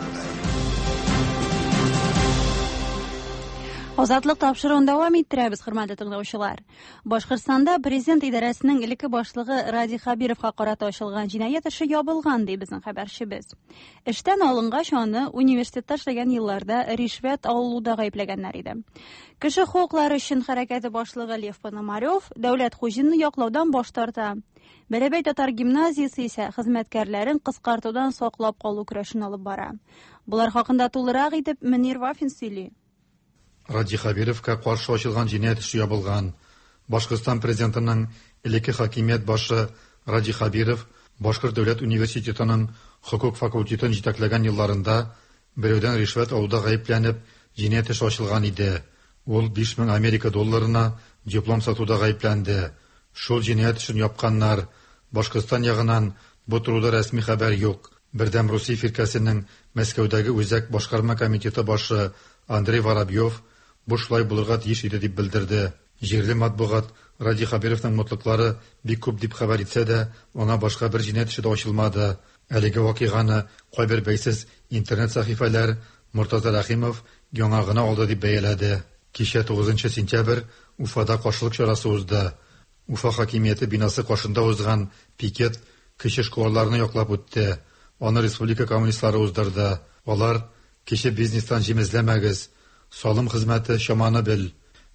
Азатлык тапшыруын дәвам иттерәбез, хөрмәтле тыңлаучылар. Башкортстанда президент идарәсенең элекке башлыгы Радий Хәбировка карата ачылган җинаять эше ябылган, ди безнең хәбәрчебез. Эштән алынгач, аны университетта эшләгән елларда ришвәт алуда гаепләгәннәр иде. Кеше хокуклары өчен хәрәкәте башлыгы Лев Пономарев Дәүләт Хуҗинны яклаудан баш тарта. Бәләбәй татар гимназиясе исә хезмәткәрләрен кыскартудан саклап калу көрәшен алып бара. Болар хакында тулырак итеп Мөнир Вафин сөйли. Радий Хәбировка каршы ачылган җинаять эше ябылган. Башкортстан президентының элекке хакимият башы Радий Хәбиров Башкорт дәүләт университетының хокук факультетын җитәкләгән елларында берәүдән ришвәт алуда гаепләнеп, җинаять эше ачылган иде. Ул 5000 Америка долларына диплом сатуда гаепләнде. Шул җинаять эшен япканнар. Башкортстан ягыннан бу турыда рәсми хәбәр юк. Бердәм Русия фиркәсенең Мәскәүдәге үзәк башкарма комитеты башы Андрей Воробьев бу шулай булырга тиеш иде дип белдерде. Җирле матбугат Радий Хәбировның мутлыклары бик күп дип хәбәр итсә дә, аңа башка бер җинаять эше дә ачылмады. Әлеге вакыйганы кайбер бәйсез интернет сәхифәләр Мортаза Рәхимов яңа гына алды дип бәяләде. Кичә 9 сентябрь Уфада каршылык чарасы узды. Уфа хакимияте бинасы каршында узган пикет кече эшкуарларны яклап үтте. Аны республика коммунистлары уздырды. Алар кече бизнестан җим эзләмәгез, салым хезмәте чаманы бел,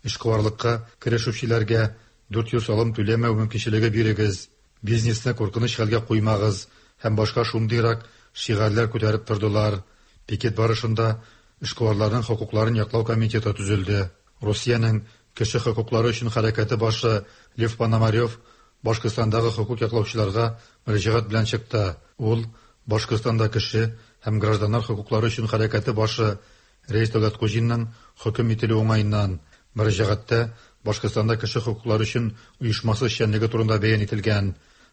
эшкуарлыкка керешүчеләргә 4 ел салым түләмәү мөмкинчелеге бирегез, бизнесны куркыныч хәлгә куймагыз һәм башка шундыйрак шигарьләр күтәреп тордылар. Пикет барышында эшкуарларның хокукларын яклау комитеты төзелде. Русиянең кеше хокуклары өчен хәрәкәте башы Лев Пономарев Башкортстандагы хокук яклаучыларга мөрәҗәгать белән чыкты. Ул Башкортстанда кеше һәм гражданнар хокуклары өчен хәрәкәте башы Рәис Дәүләткуҗинның хөкем ителү уңаеннан мөрәҗәгатьтә Башкортстанда кеше хокуклары өчен оешмасы эшчәнлеге турында бәян ителгән.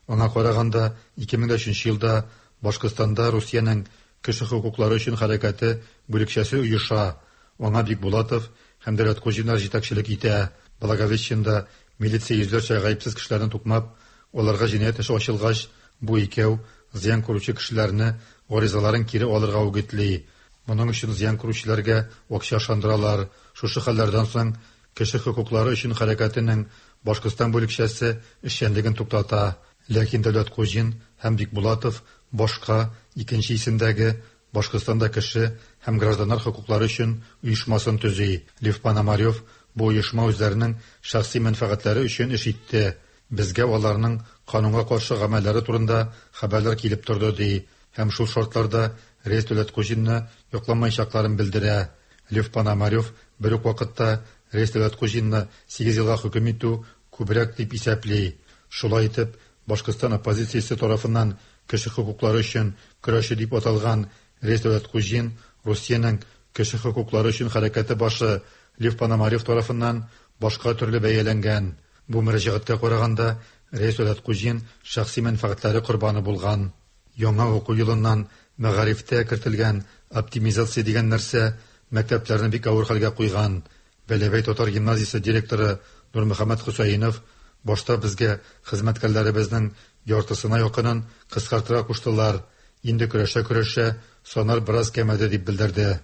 Аңа караганда 2003 елда Башкортстанда Русиянең кеше хокуклары өчен хәрәкәте бүлекчәсе оеша. Аңа Бикбулатов һәм Дәүләткуҗиннар җитәкчелек итә. Благовещенда милиция йөзләрчә гаепсез кешеләрне тукмап, аларга җинаять эше ачылгач, бу икәү зыян күрүче кешеләрне гаризаларын кире алырга үгетли. Моның өчен зыян күрүчеләргә акча ышандыралар. Шушы хәлләрдән соң кеше хокуклары өчен хәрәкәтенең Башкортстан бүлекчәсе эшчәнлеген туктата. Ләкин Дәүләткуҗин һәм Бикбулатов башка икенче исемдәге Башкортстанда кеше һәм гражданнар хокуклары өчен оешмасын төзи. Лев Пономарев бу оешма үзләренең шәхси мәнфәгатьләре өчен эш итте. Безгә аларның канунга каршы гамәлләре турында хәбәрләр килеп торды, ди. Һәм шул шартларда Рәис Дәүләткуҗинны якламаячакларын белдерә. Лев Пономарев бер үк вакытта Рәис Дәүләткуҗинны 8 елга хөкем итү күбрәк дип исәпли. Шулай итеп, Башкортстан оппозициясе тарафыннан кеше хокуклары өчен көрәше дип аталган Рәис Дәүләткуҗин Русиянең кеше хокуклары өчен хәрәкәте башы Лев Пономарев тарафыннан башка төрле бәяләнгән. Бу мөрәҗәгатькә караганда, Рәис Дәүләткуҗин шәхси мәнфәгатьләре корбаны булган. Яңа уку елыннан мәгарифтә кертелгән оптимизация дигән нәрсә мәктәпләрне бик авыр хәлгә куйган. Бәләбәй татар гимназиясе директоры Нурмөхәммәт Хөсәенов башта безгә хезмәткәрләребезнең яртысына якынын кыскартырга куштылар. Инде көрәшә-көрәшә саннар бераз кәмәде дип белдерде.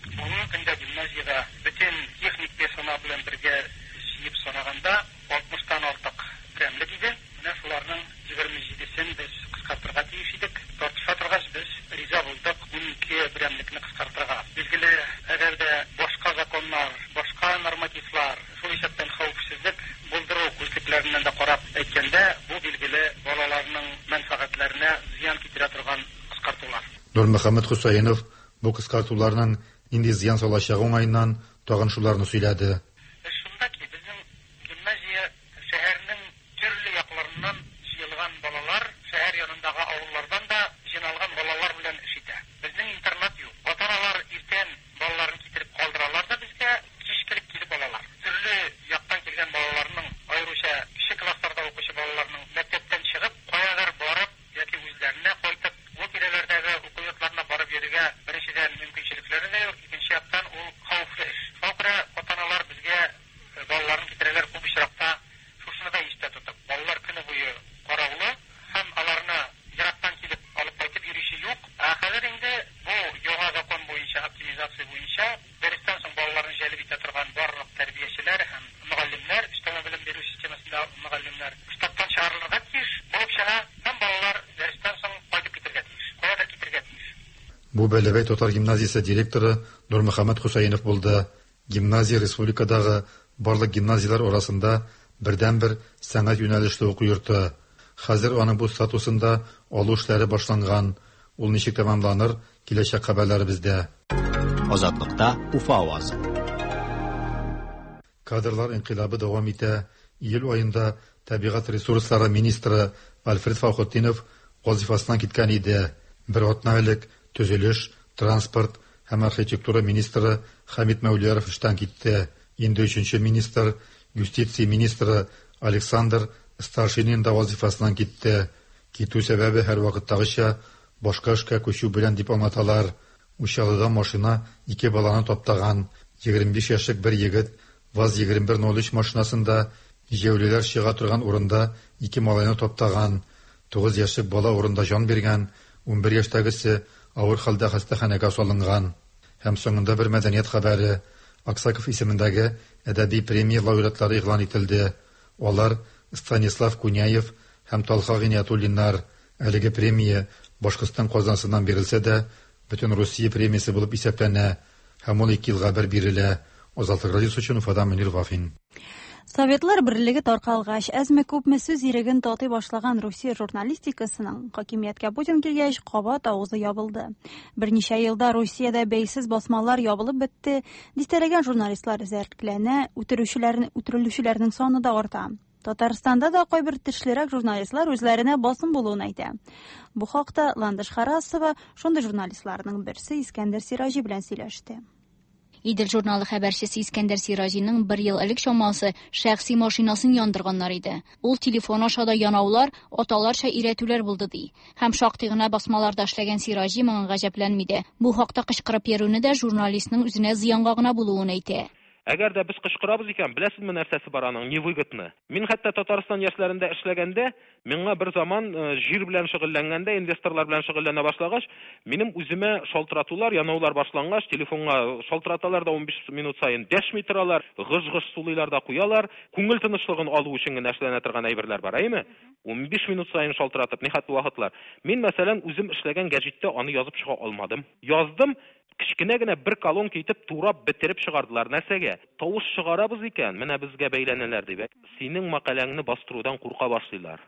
Бүгенге көндә гимназиядә бөтен техник персонал белән бергә җыеп санаганда 60-тан артык берәмлек иде. Менә шуларның 27-сен без кыскартырга тиеш идек. Тартыша торгач, без риза булдык 12 берәмлекне кыскартырга. Билгеле, әгәр дә башка законнар, башка нормативлар, шул исәптән хәвефсезлек булдыру күзлекләреннән дә карап әйткәндә, бу билгеле балаларның мәнфәгатьләренә зыян китерә торган кыскартулар. Нурмөхәммәт Хөсәенов бу кыскартуларның нинди зыян салачагы уңаеннан тагын шуларны сөйләде. Эш шунда ки, безнең гимназия шәһәрнең төрле якларыннан җыелган балалар, шәһәр янындагы авыллардан да җыйналган балалар белән эш итә. Безнең интернат юк. Ата-аналар иртән балаларын китереп калдыралар да безгә, кич кереп килеп алалар. Төрле яктан килгән балаларның, аеруча кече классларда укучы балаларның мәктәптән чыгып, каядыр барып яки үзләренә кайтып, бу тирәләрдәге уку йортларына барып йөрергә беренчедән мөмкинчелекләре дә юк, икенче яктан ул хәвефле эш. Шуңа күрә ата-аналар безгә Бу Бәләбәй татар гимназиясе директоры Нурмөхәммәт Хөсәенов булды. Гимназия республикадагы барлык гимназияләр арасында бердәнбер сәнгать юнәлешле уку йорты. Хәзер аның бу статусын да алу эшләре башланган. Ул ничек тәмамланыр, киләчәк хәбәрләребездә. Азатлыкта Уфа авазы. Кадрлар инкыйлабы дәвам итә. Июль аенда табигать ресурслары министры Альфред Фахутдинов вазифасыннан киткән иде. Бер атна элек төзелеш, транспорт һәм архитектура министры Хәмит Мәүлияров эштән китте. Инде өченче министр, юстиция министры Александр Старшинин да вазифасыннан китте. Китү сәбәбе һәрвакыттагыча башка эшкә күчү белән дип аңлаталар. Учалыда машина ике баланы таптаган. 25 яшьлек бер егет ВАЗ-2103 машинасында җәяүлеләр чыга торган урында ике малайны таптаган. 9 яшьлек бала урында җан биргән, 11 яшьтәгесе авыр хәлдә хастаханәгә салынган. Һәм соңында бер мәдәният хәбәре. Аксаков исемендәге әдәби премия лауреатлары игълан ителде. Алар Станислав Куняев һәм Талха Гыйниятуллиннар. Әлеге премия Башкортстан казнасыннан бирелсә дә, бөтен Русия премиясе булып исәпләнә һәм ул ике елга бер бирелә. Азатлык радиосы өчен Уфадан Мөнир Вафин. Советлар берлеге таркалгач, әзме-күпме сүз иреген татый башлаган Русия журналистикасының хакимияткә Путин килгәч, кабат авызы ябылды. Берничә елда Русиядә бәйсез басмалар ябылып бетте, дистәләгән журналистлар эзәрлекләнә, үтерүчеләрне үтерелүчеләрнең саны да арта. Татарстанда да кайбер тешлерәк журналистлар үзләренә басым булуын әйтә. Бу хакта Ландыш Харасова шундый журналистларның берсе Искәндәр Сираҗи белән сөйләште. Идел журналы хәбәрчесе Искәндәр Сираҗиның бер ел элек чамасы шәхси машинасын яндырганнар иде. Ул телефон аша да янаулар, аталарча өйрәтүләр булды ди. Һәм шактый гына басмаларда эшләгән Сираҗи моңа гаҗәпләнми дә. Бу хакта кычкырып йөрүне дә журналистның үзенә зыянга гына булуын әйтә. Әгәр дә без кычкырабыз икән, беләсезме нәрсәсе бар аның, невыгодно. Мин хәтта Татарстан яшьләрендә эшләгәндә, миңа бер заман җир белән шөгыльләнгәндә, инвесторлар белән шөгыльләнә башлагач, минем үземә шалтыратулар, янаулар башлангач, телефонга шалтыраталар да 15 минут саен дәшми торалар, гыж-гыж сулыйлар да куялар. Күңел тынычлыгын алу өчен генә эшләнә торган әйберләр бар, әйеме? 15 минут саен шалтыратып, нихәтле вакытлар. Мин, мәсәлән, үзем эшләгән гәҗиттә аны язып чыга алмадым. Яздым, кечкенә генә бер колонка итеп турап бетереп чыгардылар. Нәрсәгә? Тавыш чыгарабыз икән, менә безгә бәйләнәләр дип. Синең мәкаләңне бастырудан курка башлыйлар.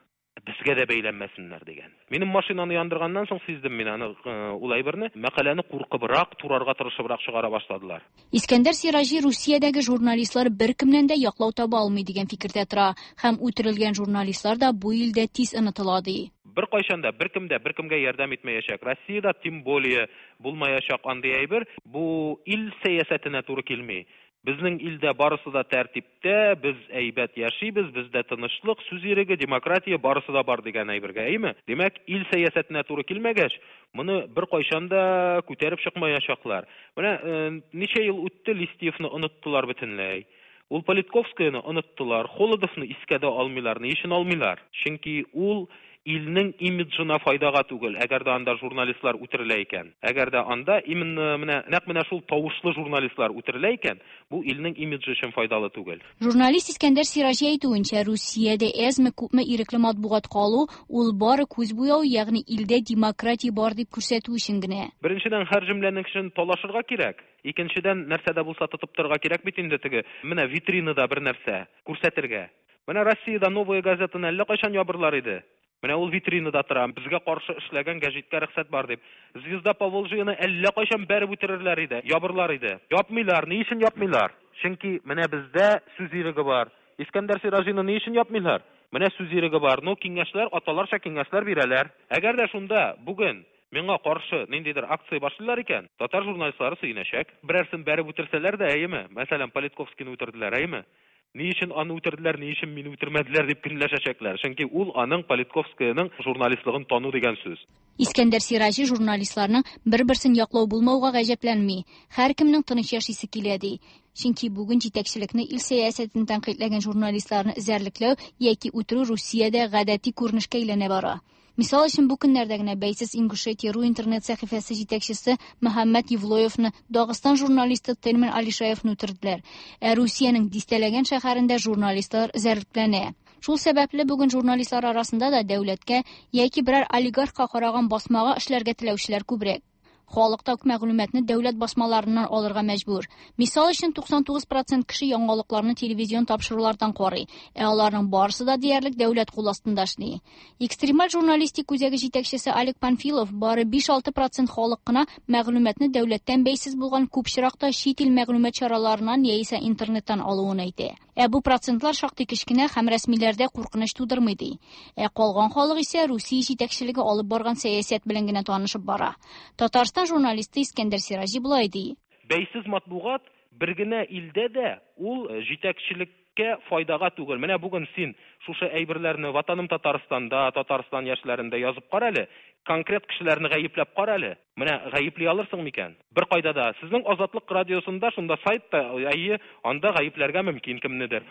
Безгә дә бәйләнмәсеннәр дигән. Минем машинаны яндырганнан соң сиздем мин аны ул әйберне. Мәкаләне куркыбрак, турарга тырышыбрак чыгара башладылар. Искәндәр Сираҗи Русиядәге журналистлар беркемнән дә яклау таба алмый дигән фикердә тора һәм үтерелгән журналистлар да бу илдә тиз онытыла ди. Беркайчан да беркем дә беркемгә ярдәм итмәячәк. Россиядә тем более булмаячак андый әйбер. Бу ил сәясәтенә туры килми. Безнең илдә барысы да тәртиптә, без әйбәт яшибез, бездә тынычлык, сүз иреге, демократия барысы да бар дигән әйбергә, әйеме? Димәк, ил сәясәтенә туры килмәгәч, моны беркайчан да күтәреп чыкмаячаклар. Менә ничә ел үтте, Листьевны оныттылар бөтенләй. Ул Политковскаяны оныттылар, Холодовны искә дә алмыйлар. Ни өчен алмыйлар? Чөнки ул илнең имиджына файдага түгел, әгәр дә анда журналистлар үтерелә икән. Әгәр дә анда именно менә нәкъ менә шул тавышлы журналистлар үтерелә икән, бу илнең имиджы өчен файдалы түгел. Журналист Искәндәр Сираҗи әйтүенчә, Русиядә әзме-күпме ирекле матбугат калу ул бары күз буяу, ягъни илдә демократия бар дип күрсәтү өчен генә. Беренчедән, һәр җөмләнең өчен талашырга кирәк. Икенчедән, нәрсә дә булса тотып торырга кирәк бит инде теге, менә витринада бер нәрсә күрсәтергә. Менә Россиядә Новая газетаны әллә кайчан ябырлар иде. Менә ул витринада тора, безгә каршы эшләгән гәҗиткә рөхсәт бар дип. Звезда Поволжьены әллә кайчан бәреп үтерерләр иде, ябырлар иде. Япмыйлар, ни өчен япмыйлар? Чөнки менә бездә сүз иреге бар. Искәндәр Сираҗины ни өчен япмыйлар? Менә сүз иреге бар. Ну, киңәшләр, аталарча киңәшләр бирәләр. Әгәр дә шунда бүген миңа каршы ниндидер акция башлыйлар икән, татар журналистлары сөенәчәк. Берәрсен бәреп үтерсәләр дә, әйеме? Мәсәлән, Политковскийны үтерделәр, әйеме? Ни өчен аны үтерделәр, ни өчен мине үтермәделәр дип көнләшәчәкләр. Чөнки ул аның Политковскаяның журналистлыгын тану дигән сүз. Искәндәр Сираҗи журналистларның бер-берсен яклау булмауга гаҗәпләнми. Һәркемнең тыныч яшисе килә ди. Чөнки бүген җитәкчелекне ил сәясәтен тәнкыйтьләгән журналистларны эзәрлекләү яки үтерү Русиядә гадәти күренешкә әйләнә бара. Мисал өчен, бу көннәрдә генә бәйсез Ингушетия.ру интернет сәхифәсе җитәкчесе Мөхәммәд Евлоевны Дагыстан журналисты Тельман Алишаевны үтерделәр. Ә Русиянең дистәләгән шәһәрендә журналистлар эзәрлекләнә. Шул сәбәпле бүген журналистлар арасында да дәүләткә яки берәр олигархка караган басмага эшләргә теләүчеләр күбрәк. Халык та мәгълүматны дәүләт басмаларыннан алырга мәҗбүр. Мисал өчен, 99 процент кеше яңалыкларны телевизион тапшырулардан карый, ә аларның барысы да диярлек дәүләт кул астында эшли. Экстремаль журналистик үзәге җитәкчесе Олег Панфилов бары 5-6 процент халык кына мәгълүматны дәүләттән бәйсез булган күп очракта чит ил мәгълүмат чараларыннан яисә интернеттан алуын әйтә. Ә бу процентлар шактый кечкенә һәм рәсмиләрдә куркыныч тудырмый ди. Ә калган халык исә Русия җитәкчелеге алып барган сәясәт белән генә танышып бара. Татарстан журналисты Искәндәр Сираҗи болай ди. Бәйсез матбугат бер генә илдә дә ул җитәкчелеккә файдага түгел. Менә бүген син шушы әйберләрне Ватаным Татарстанда, Татарстан яшьләрендә язып кара әле, конкрет кешеләрне гаепләп кара әле. Менә гаепли алырсың микән? Беркайда да. Сезнең Азатлык радиосында шунда сайтта, әйе, анда гаепләргә мөмкин кемнедер.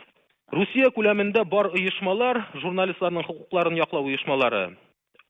Русия күләмендә бар оешмалар, журналистларның хокукларын яклау оешмалары.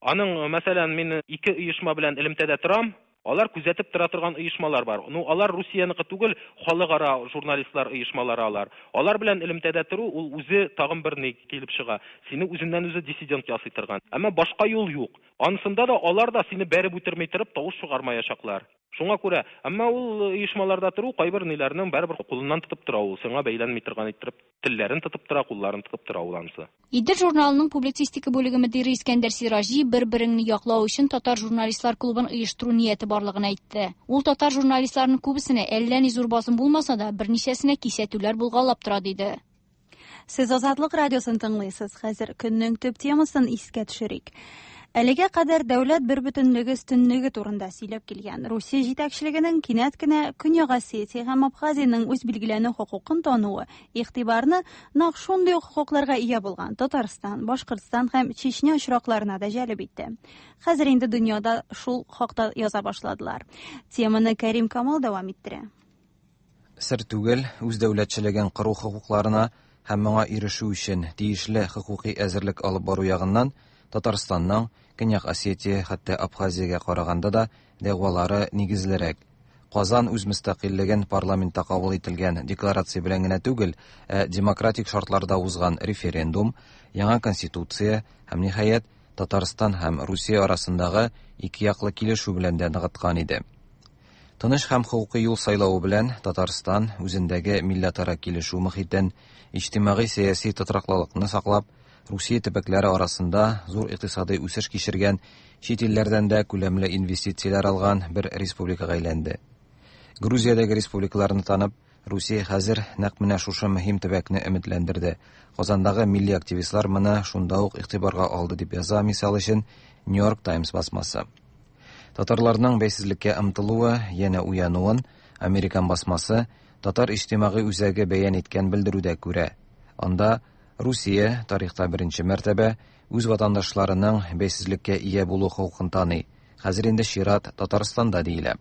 Аның, мәсәлән, мин ике оешма белән элемтәдә торам, алар күзәтеп тора торган оешмалар бар. Ну, алар Русияныкы түгел, халыкара журналистлар оешмалары алар. Алар белән элемтәдә тору ул үзе тагын бер ни килеп чыга. Сине үзеннән-үзе диссидент ясый торган. Әмма башка юл юк. Анысында да алар да сине бәреп үтерми торып тавыш чыгармаячаклар. Шуңа күрә, әмма ул оешмаларда тору кайбер ниләрнең барыбер кулыннан тотып тора ул, сиңа бәйләнми торган иттереп телләрен тотып тора, кулларын тотып тора ул анысы. Идел журналының публицистика бүлеге мөдире Искәндәр Сираҗи бер-береңне яклау өчен татар журналистлар клубын оештыру нияте барлыгын әйтте. Ул татар журналистларының күбесенә әллә ни зур басым булмаса да, берничәсенә кисәтүләр булгалап тора, диде. Сез Азатлык радиосын тыңлыйсыз. Хәзер көннең төп темасын искә төшерик. Әлегә кадәр дәүләт бербөтенлеге өстенлеге турында сөйләп килгән Русия җитәкчелегенең кинәт кенә Көньяк Осетия һәм Абхазиянең үз билгеләнү хокукын тануы игътибарны нәкъ шундый ук хокукларга ия булган Татарстан, Башкортстан һәм Чечня очракларына да җәлеп итте. Хәзер инде дөньяда шул хакта яза башладылар. Теманы Кәрим Камал дәвам иттерә. Сер түгел, үз дәүләтчелеген кору хокукларына һәм моңа ирешү өчен тиешле хокукый әзерлек алып бару ягыннан Татарстанның, Көньяк Осетия, хәтта Абхазиягә караганда да дәгъвалары нигезлерәк. Казан үз мөстәкыйльлеген парламентта кабул ителгән декларация белән генә түгел, ә демократик шартларда узган референдум, яңа конституция һәм, ниһаять, Татарстан һәм Русия арасындагы икеяклы килешү белән дә ныгыткан иде. Тыныч һәм хокукый юл сайлавы белән Татарстан үзендәге милләтара килешү мохитен, иҗтимагый-сәяси тотрыклылыкны саклап, Русия төбәкләре арасында зур икътисадый үсеш кичергән, чит илләрдән дә күләмле инвестицияләр алган бер республикага әйләнде. Грузиядәге республикаларны танып, Русия хәзер нәкъ менә шушы мөһим төбәкне өметләндерде. Казандагы милли активистлар моны шунда ук игътибарга алды, дип яза, мисал өчен, New York Times басмасы. Татарларның бәйсезлеккә омтылуы, янә уянуын американ басмасы Татар иҗтимагый үзәге бәян иткән белдерүдә күрә. Анда Русия тарихта беренче мәртәбә үз ватандашларының бәйсезлеккә ия булу хокукын таный. Хәзер инде чират Татарстанда диелә.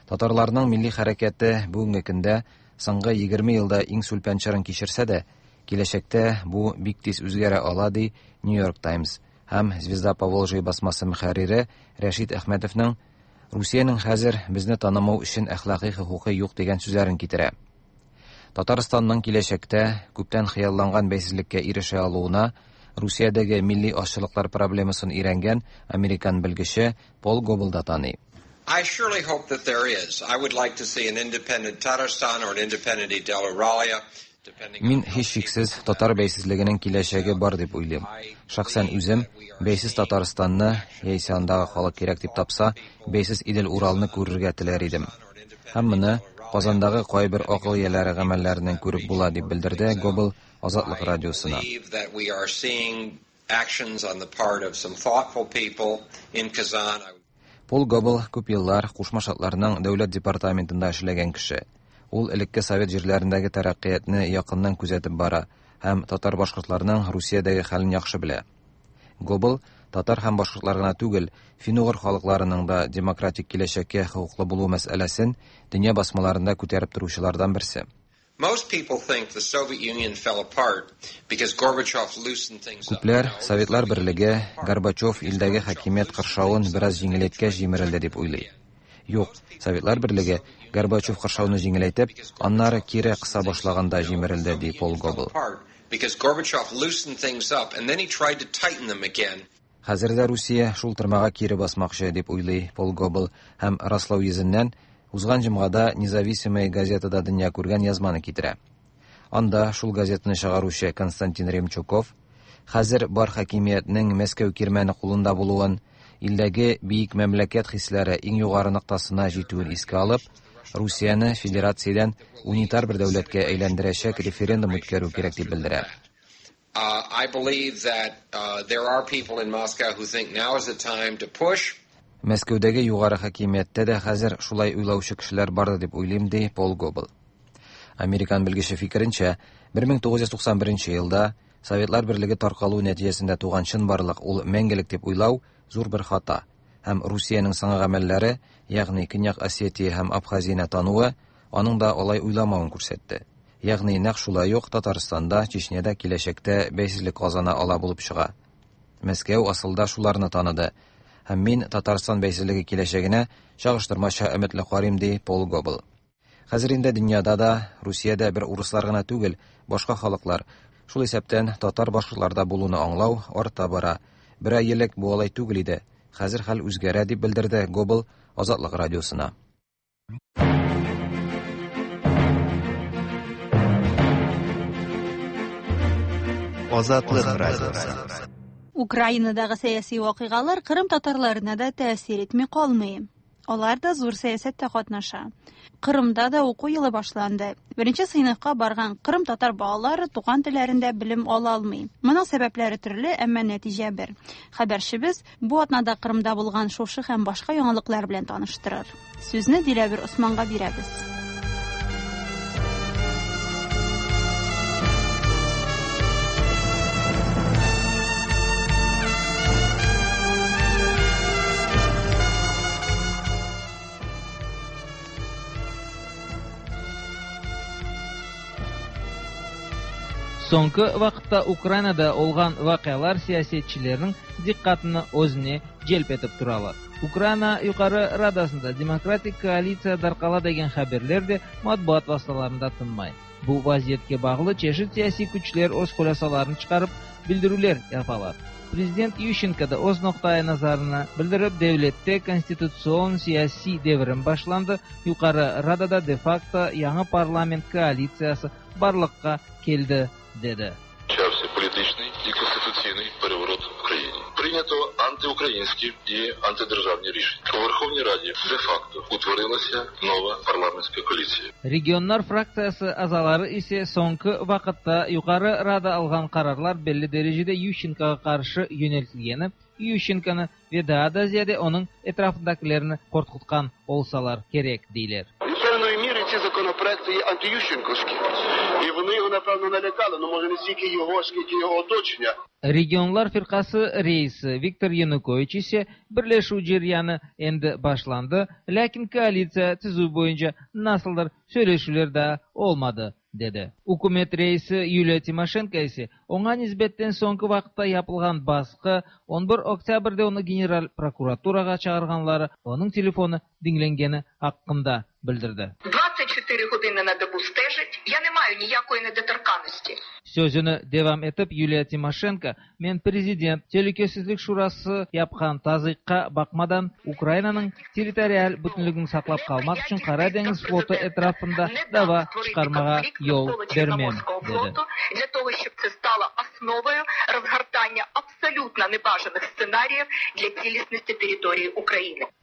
Татарларның милли хәрәкәте бүгенге көндә соңгы 20 елда иң сүлпән чорын кичерсә дә, киләчәктә бу бик тиз үзгәрә ала, ди New York Times. Һәм Звезда Поволжья басмасы мөхәррире Рәшит Әхмәтовның Русиянең хәзер безне танымау өчен әхлакый хокукы юк дигән сүзләрен китерә. Татарстанның киләчәктә күптән хыялланган бәйсезлеккә ирешә алуына Русиядәге милли азчылыклар проблемасын өйрәнгән американ белгече Пол Гобл да таный. I surely hope that there is. I would like to see an independent Tatarstan or an independent Idel-Uralia. Мин һичшиксез татар бәйсезлегенең киләчәге бар дип уйлыйм. Шәхсән үзем бәйсез Татарстанны, яисә андагы халык кирәк дип тапса, бәйсез Идел-Уралны күрергә теләр идем. Һәм моны Казандагы кайбер акыл ияләре гамәлләреннән күреп була, дип белдерде Гобл Азатлык радиосына. Пол Гобл күп еллар Кушма Штатларның Дәүләт департаментында эшләгән кеше. Ул элекке совет җирләрендәге тәрәккыятьне якыннан күзәтеп бара һәм татар-башкортларның Русиядәге хәлен яхшы белә. Гобл татар һәм башкортлар гына түгел, фин-угыр халыкларының да демократик киләчәккә хокуклы булу мәсьәләсен дөнья басмаларында күтәреп торучылардан берсе. Күпләр Советлар Берлеге Горбачев илдәге хакимият кыршавын бераз җиңеләйткәч җимерелде дип уйлый. Юк, Советлар Берлеге Горбачев кыршауны җиңеләйтеп, аннары кире кыса башлаганда җимерелде, ди Пол Гобл. Хәзер дә Русия шул тырмага кире басмакчы, дип уйлый Пол Гобл һәм раслау йөзеннән узган җомгада Независимая газетада дөнья күргән язманы китерә. Анда шул газетаны чыгаручы Константин Ремчуков хәзер бар хакимиятнең Мәскәү кирмәне кулында булуын, илдәге биек мәмләкәт хисләре иң югары ноктасына җитүен искә алып, Русияне федерациядән унитар бер дәүләткә әйләндерәчәк референдум үткәрү кирәк дип белдерә. I believe that there are people in Moscow who think now is the time to push. Мәскәүдәге югары хакимияттә дә хәзер шулай уйлаучы кешеләр бардыр дип уйлыйм, ди Пол Гобл. Американ белгече фикеренчә, 1991 елда Советлар Берлеге таркалу нәтиҗәсендә туган чынбарлык ул мәңгелек дип уйлау зур бер хата һәм Русиянең соңгы гамәлләре, ягъни Көньяк Осетия һәм Абхазияне тануы, аның да алай уйламавын күрсәтте. Ягъни нәкъ шулай ук Татарстанда, Чечняда киләчәктә бәйсезлек казана ала булып чыга. Мәскәү асылда шуларны таныды. Һәм мин Татарстан бәйсезлеге киләчәгенә чагыштырмача өметле карыйм, ди Пол Гобл. Хәзер инде дөньяда да, Русиядә бер урыслар гына түгел, башка халыклар, шул исәптән татар-башкортлар да булуны аңлау арта бара. Бер ай элек бу алай түгел иде. Хәзер хәл үзгәрә, дип белдерде Гобл Азатлык радиосына. Азатлык радиосы. Украинадагы сәяси вакыйгалар Кырым татарларына да тәэсир итми калмый. Алар да зур сәясәттә катнаша. Кырымда да уку елы башланды. Беренче сыйныфка барган кырым татар балалары туган телләрендә белем ала алмый. Моның сәбәпләре төрле, әмма нәтиҗә бер. Хәбәрчебез бу атнада Кырымда булган шушы һәм башка яңалыклар белән таныштырыр. Сүзне Диләвер Османга бирәбез. Soñki vaqıtta Ukrainada olğan vaqialar siyasetçilerniñ diqqatını özüne celp etip turalar. Ukraina Yuqarı Radasında demokratik koalitsiya darqala degen haberler de matbuat vastalarında tınmay. Bu vaziyetke bağlı çeşit siyasiy küçler öz hulâsalarını çıqarıp, bildirüvler yapalar. Prezident Yuşçenko da öz noqta-i nazarını bildirip, devlette konstitutsion siyasiy devirim başlandı, Yuqarı Radada de-fakto yañı parlament koalitsiyası barlıqqa keldi, dedi. Почався політичний і конституційний переворот в країні. Прийнято антиукраїнські і антидержавні рішення. У Верховній Раді де-факто утворилася нова парламентська коаліція. Regionlar fraktsiyası azaları ise soñki vaqıtta Yuqarı Rada alğan qararlar belli derecede Yuşçenkoğa qarşı yöneltilgeni, Yuşçenkonı ve daa da ziyade onıñ etrafındakilerni qorqutqan olsalar kerek, deyler. Певної міри ці законопроекти є антиющенковські. І вони його, напевно, налякали, ну, може, не стільки його, скільки його оточення. Regionlar firqası reisi Viktor Yanukoviç ise birleşüv ceryanı endi başlandı, lâkin koalitsiya tizüv boyunca nasıldır söyleşüvler daa olmadı, dedi. Ükümet reisi Yuliya Timoşenko ise oña nisbetten soñki vaqıtta yapılğan basqı, on bir oktâbrde onı General prokuraturağa çağırğanları, onıñ telefonı diñlengeni aqqında bildirdi. 24 години на добу стежать, я не маю ніякої недоторканності. Sözüni devam etip Yuliya Timoşenko, Men prezident, Telükesizlik şurası yapqan tazıyıqqa baqmadan, Ukrainanıñ territorial bütünligini saqlap qalmaq içün Qara deñiz flotu etrafında dava çıqarmağa yol bermem, dedi.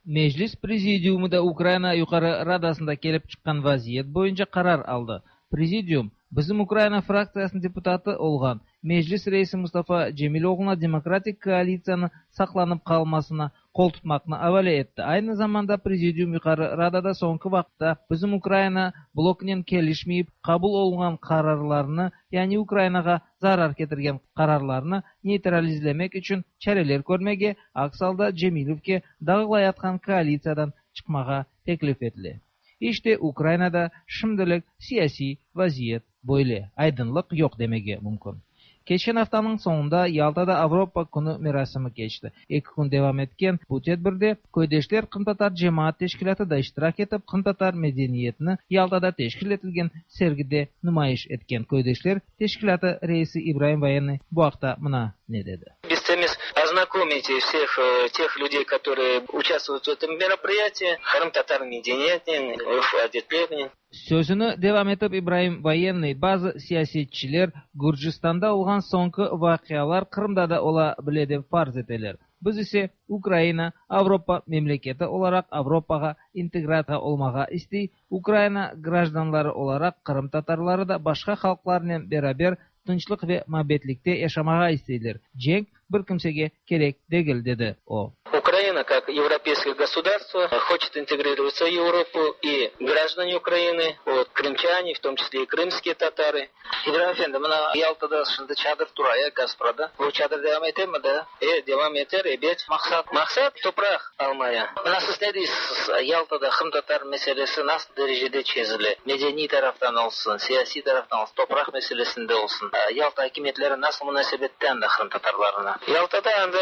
Meclis prezidiumı da Ukraina Yuqarı Radasında kelip çıqqan vaziyet boyunca qarar aldı. Prezidium, Bizim Ukraina fraktsiyasınıñ deputatı olğan Meclis reisi Mustafa Cemiloğluna demokratik koalitsiyanı saqlanıp qalmasına qol tutmaqnı avale etti. Aynı zamanda Prezidium Yuqarı Radada soñki vaqıtta Bizim Ukraina bloknen kelişmeyip qabul olunğan qararlarnı, yani Ukrainağa zarar ketirgen qararlarnı neytralizlemek içün çareler körmege, aks alda Cemilevge dağılayatqan koalitsiyadan çıqmağa teklif etile. İşte, Ukrainada şimdilik siyasiy vaziyet böyle, aydınlıq yoq demege mümkün. Keçken aftanıñ soñunda Yaltada Avropa künü merasimi keçti. Eki kün devam etken bu tedbirde Köydeşler qırımtatar cemaat teşkilâtı da iştirak etip, qırımtatar medeniyetini Yaltada teşkil etilgen sergide numayış etken Köydeşler teşkilâtı reisi İbraim Voyennıy bu aqta mına ne dedi. Biz temiz Познакомить всех тех людей, которые участвуют в этом мероприятии, Qırımtatar medeniyetinen, örf-adetlerinen. Sözüni devam etip İbraim Voyennıy, bazı siyasetçiler Gürcistanda olğan soñki vaqialar Qırımda da ola bile dep farz eteler. Biz ise Ukraina Avropa memleketi olaraq Avropağa integratsiya olmağa istey, Ukraina grajdanları olaraq qırımtatarları da başqa halqlarnen beraber tınçlıq ve mabetlikte yaşamağa isteyler. Cenk bir kimsege kerek degil, dedi o. Ukraina, как европейское государство, хочет интегрироваться в Европу, и граждане Украины, вот, крымчане, в том числе и крымские татары. İbrahim efendi, mına Yaltada şimdi çadır tura, ya, Gasprada. Bu çadır devam etemi da? E, devam eter, ebet. Maqsat? Maqsat topraq almaya. Mına siz ne deysiz, Yaltada qırımtatar meselesi nasıl derecede çezile? Medeniy taraftan olsun, siyasiy taraftan olsun, topraq meselesinde olsun. Yalta akimiyetleri nasıl munasebette anda qırımtatarlarına? Yaltada anda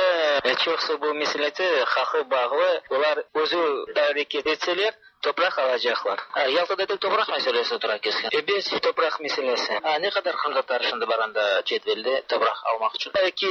çoqusı bu meselete haqı bağlı, olar özü areket etseler, topraq alacaqlar. Yaltada tek topraq meselesi tura keskin. Ebet, topraq meselesi. A ne qadar qırımtatar şimdi bar anda cedvelde topraq almaq içün? Eki,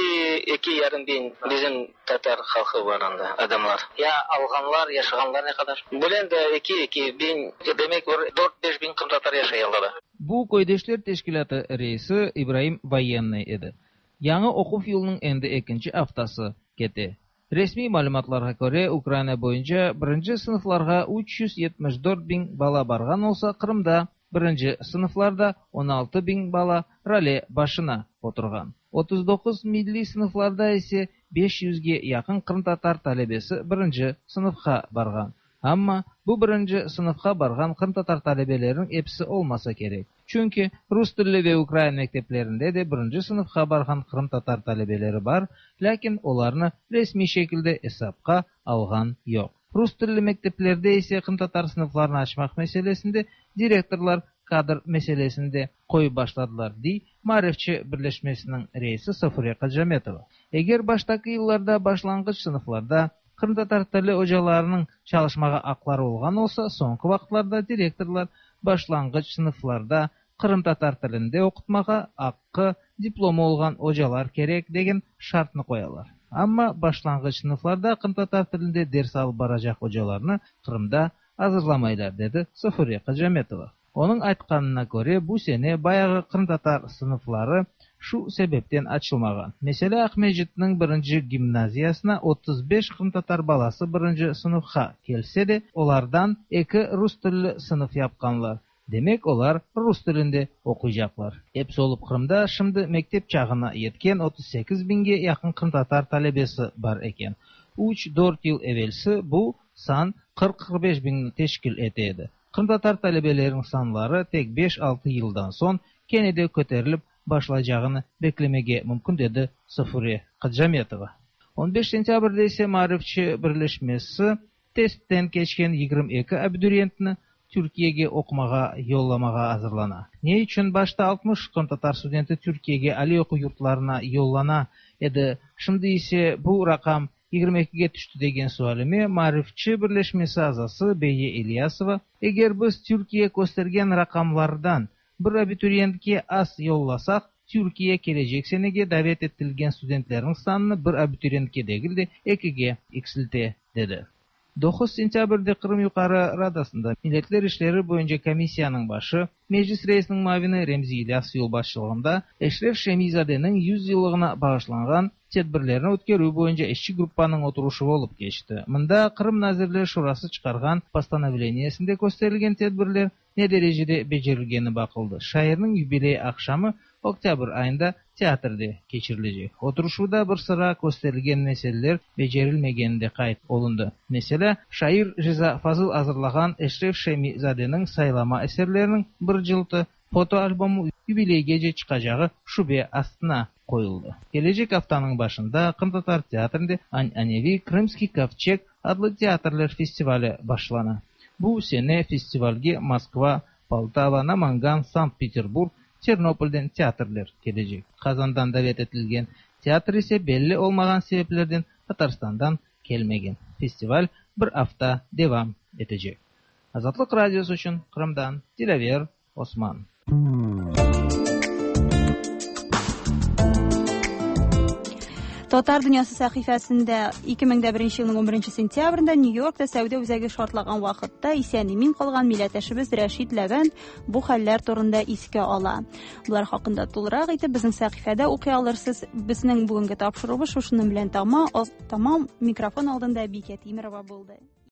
eki yarım biñ bizim tatar halqı bar anda, adamlar. Ya alğanlar, yaşağanlar ne qadar? Bilem de, eki, eki biñ, demek bir dört, beş biñ qırımtatar yaşay Yaltada. Bu Köydeşler teşkilâtı reisi İbraim Voyennıy edi. Yañı oquv yılınıñ endi ekinci aftası kete. Resmiy malümatlarğa köre, Ukraina boyunca birinci sınıflarğa 374 biñ bala barğan olsa, Qırımda birinci sınıflarda 16 biñ bala rale başına oturğan. 39 milliy sınıflarda ise beş yüzge yaqın qırımtatar talebesi birinci sınıfqa barğan. Amma bu birinci sınıfqa barğan qırımtatar talebeleriniñ episi olmasa kerek. Çünki rus tilli ve ukrain mekteplerinde de birinci sınıfqa barğan qırımtatar talebeleri bar, lâkin olarnı resmiy şekilde esapqa alğan yoq. Rus tilli mekteplerde ise qırımtatar sınıflarını açmaq meselesinde direktorlar kadr meselesini de qoyıp başladılar, dey Maarifçi birleşmesiniñ reisi Safure Kacametova. Eger baştaki yıllarda başlanğıç sınıflarda qırımtatar tili ocalarınıñ çalışmağa aqları olğan olsa, soñki vaqıtlarda direktorlar başlanğıç sınıflarda qırımtatar tilinde oqutmağa aqqı, diplomı olğan ocalar kerek degen şartnı qoyalar. Amma başlanğıç sınıflarda qırımtatar tilinde ders alıp baracaq ocalarnı Qırımda azırlamaylar, dedi Safure Kacametova. Onıñ aytqanına köre, bu sene bayağı qırımtatar sınıfları şu sebepten açılmağan. Meselâ, Aqmescitniñ birinci gimnaziyasına 35 qırımtatar balası birinci sınıfqa kelse de, olardan eki rus tilli sınıf yapqanlar. Demek, olar rus tilinde oquycaqlar. Episi olıp Qırımda şimdi mektep çağına yetken 38 biñge yaqın qırımtatar talebesi bar eken. Üç, dört yıl evelsi bu san 40-45 biñni teşkil ete edi. Qırımtatar talebeleriniñ sanları tek beş-altı yıldan soñ kene de köterilip başlaycağını beklemege mümkün, dedi Safure Kacametova. On beş sentâbrde ise Maarifçi birleşmesi testten keçken 22 abituriyentni Türkiyege oqumağa yollamağa azırlana. Ne içün başta 60 qırımtatar studenti Türkiyege aliy oquv yurtlarına yollana edi, şimdi ise bu raqam 22-ge tüşti degen sualime Maarifçi birleşmesi azası Beye İlyasova, Eger biz Türkiye köstergen raqamlardan bir abituriyentke az yollasaq, Türkiye kelecek senege davet etilgen studentlerniñ sanını bir abituriyentke degil de, ekige eksilte, dedi. Doquz sentâbrde Qırım Yuqarı Radasında Milletler işleri boyunca komissiyanıñ başı, Meclis reisiniñ muavini Remzi İlyasov yolbaşçılığında Eşref Şemi-zadeniñ 100 yıllığına bağışlanğan tedbirlerni ötkerüv boyunca işçi gruppanıñ oturışuvı olıp keçti. Mında Qırım Nazirler Şurası çıqarğan postanovleniyesinde kösterilgen tedbirler ne derecede becerilgeni baqıldı. Şairniñ yubiley aqşamı oktâbr ayında teatrde keçirilecek. Oturışuvda bir sıra kösterilgen meseleler becerilmegeni de qayd olundı. Meselâ, şair Riza Fazıl azırlağan Eşref Şemi-zadeniñ saylama eserleriniñ bir cıltı fotoalbomı yubileygece çıqacağı şübe astına qoyuldı. Kelecek aftanıñ başında Qırımtatar teatrinde an'aneviy Krımskiy kovçeg adlı teatrler festivali başlana. Bu sene festivalge Moskva, Poltava, Namangan, Sankt-Peterburg, Ternopolden teatrler kelecek. Qazandan davet etilgen teatr ise belli olmağan sebeplerden Tatarstandan kelmegen. Festival bir afta devam etecek. Azatlıq Radiosı içün Qırımdan Dilâver Osman. Татар дөньясы сәхифәсендә 2001 елның 11 сентябрендә Нью-Йоркта сәүдә үзәге шартлаган вакытта исән-имин калган милләттәшебез Рәшит Ләвәнд бу хәлләр турында искә ала. Болар хакында тулырак итеп безнең сәхифәдә укый алырсыз. Безнең бүгенге тапшыруыбыз шушының белән тамам. Микрофон алдында Бикә Тимерова булды.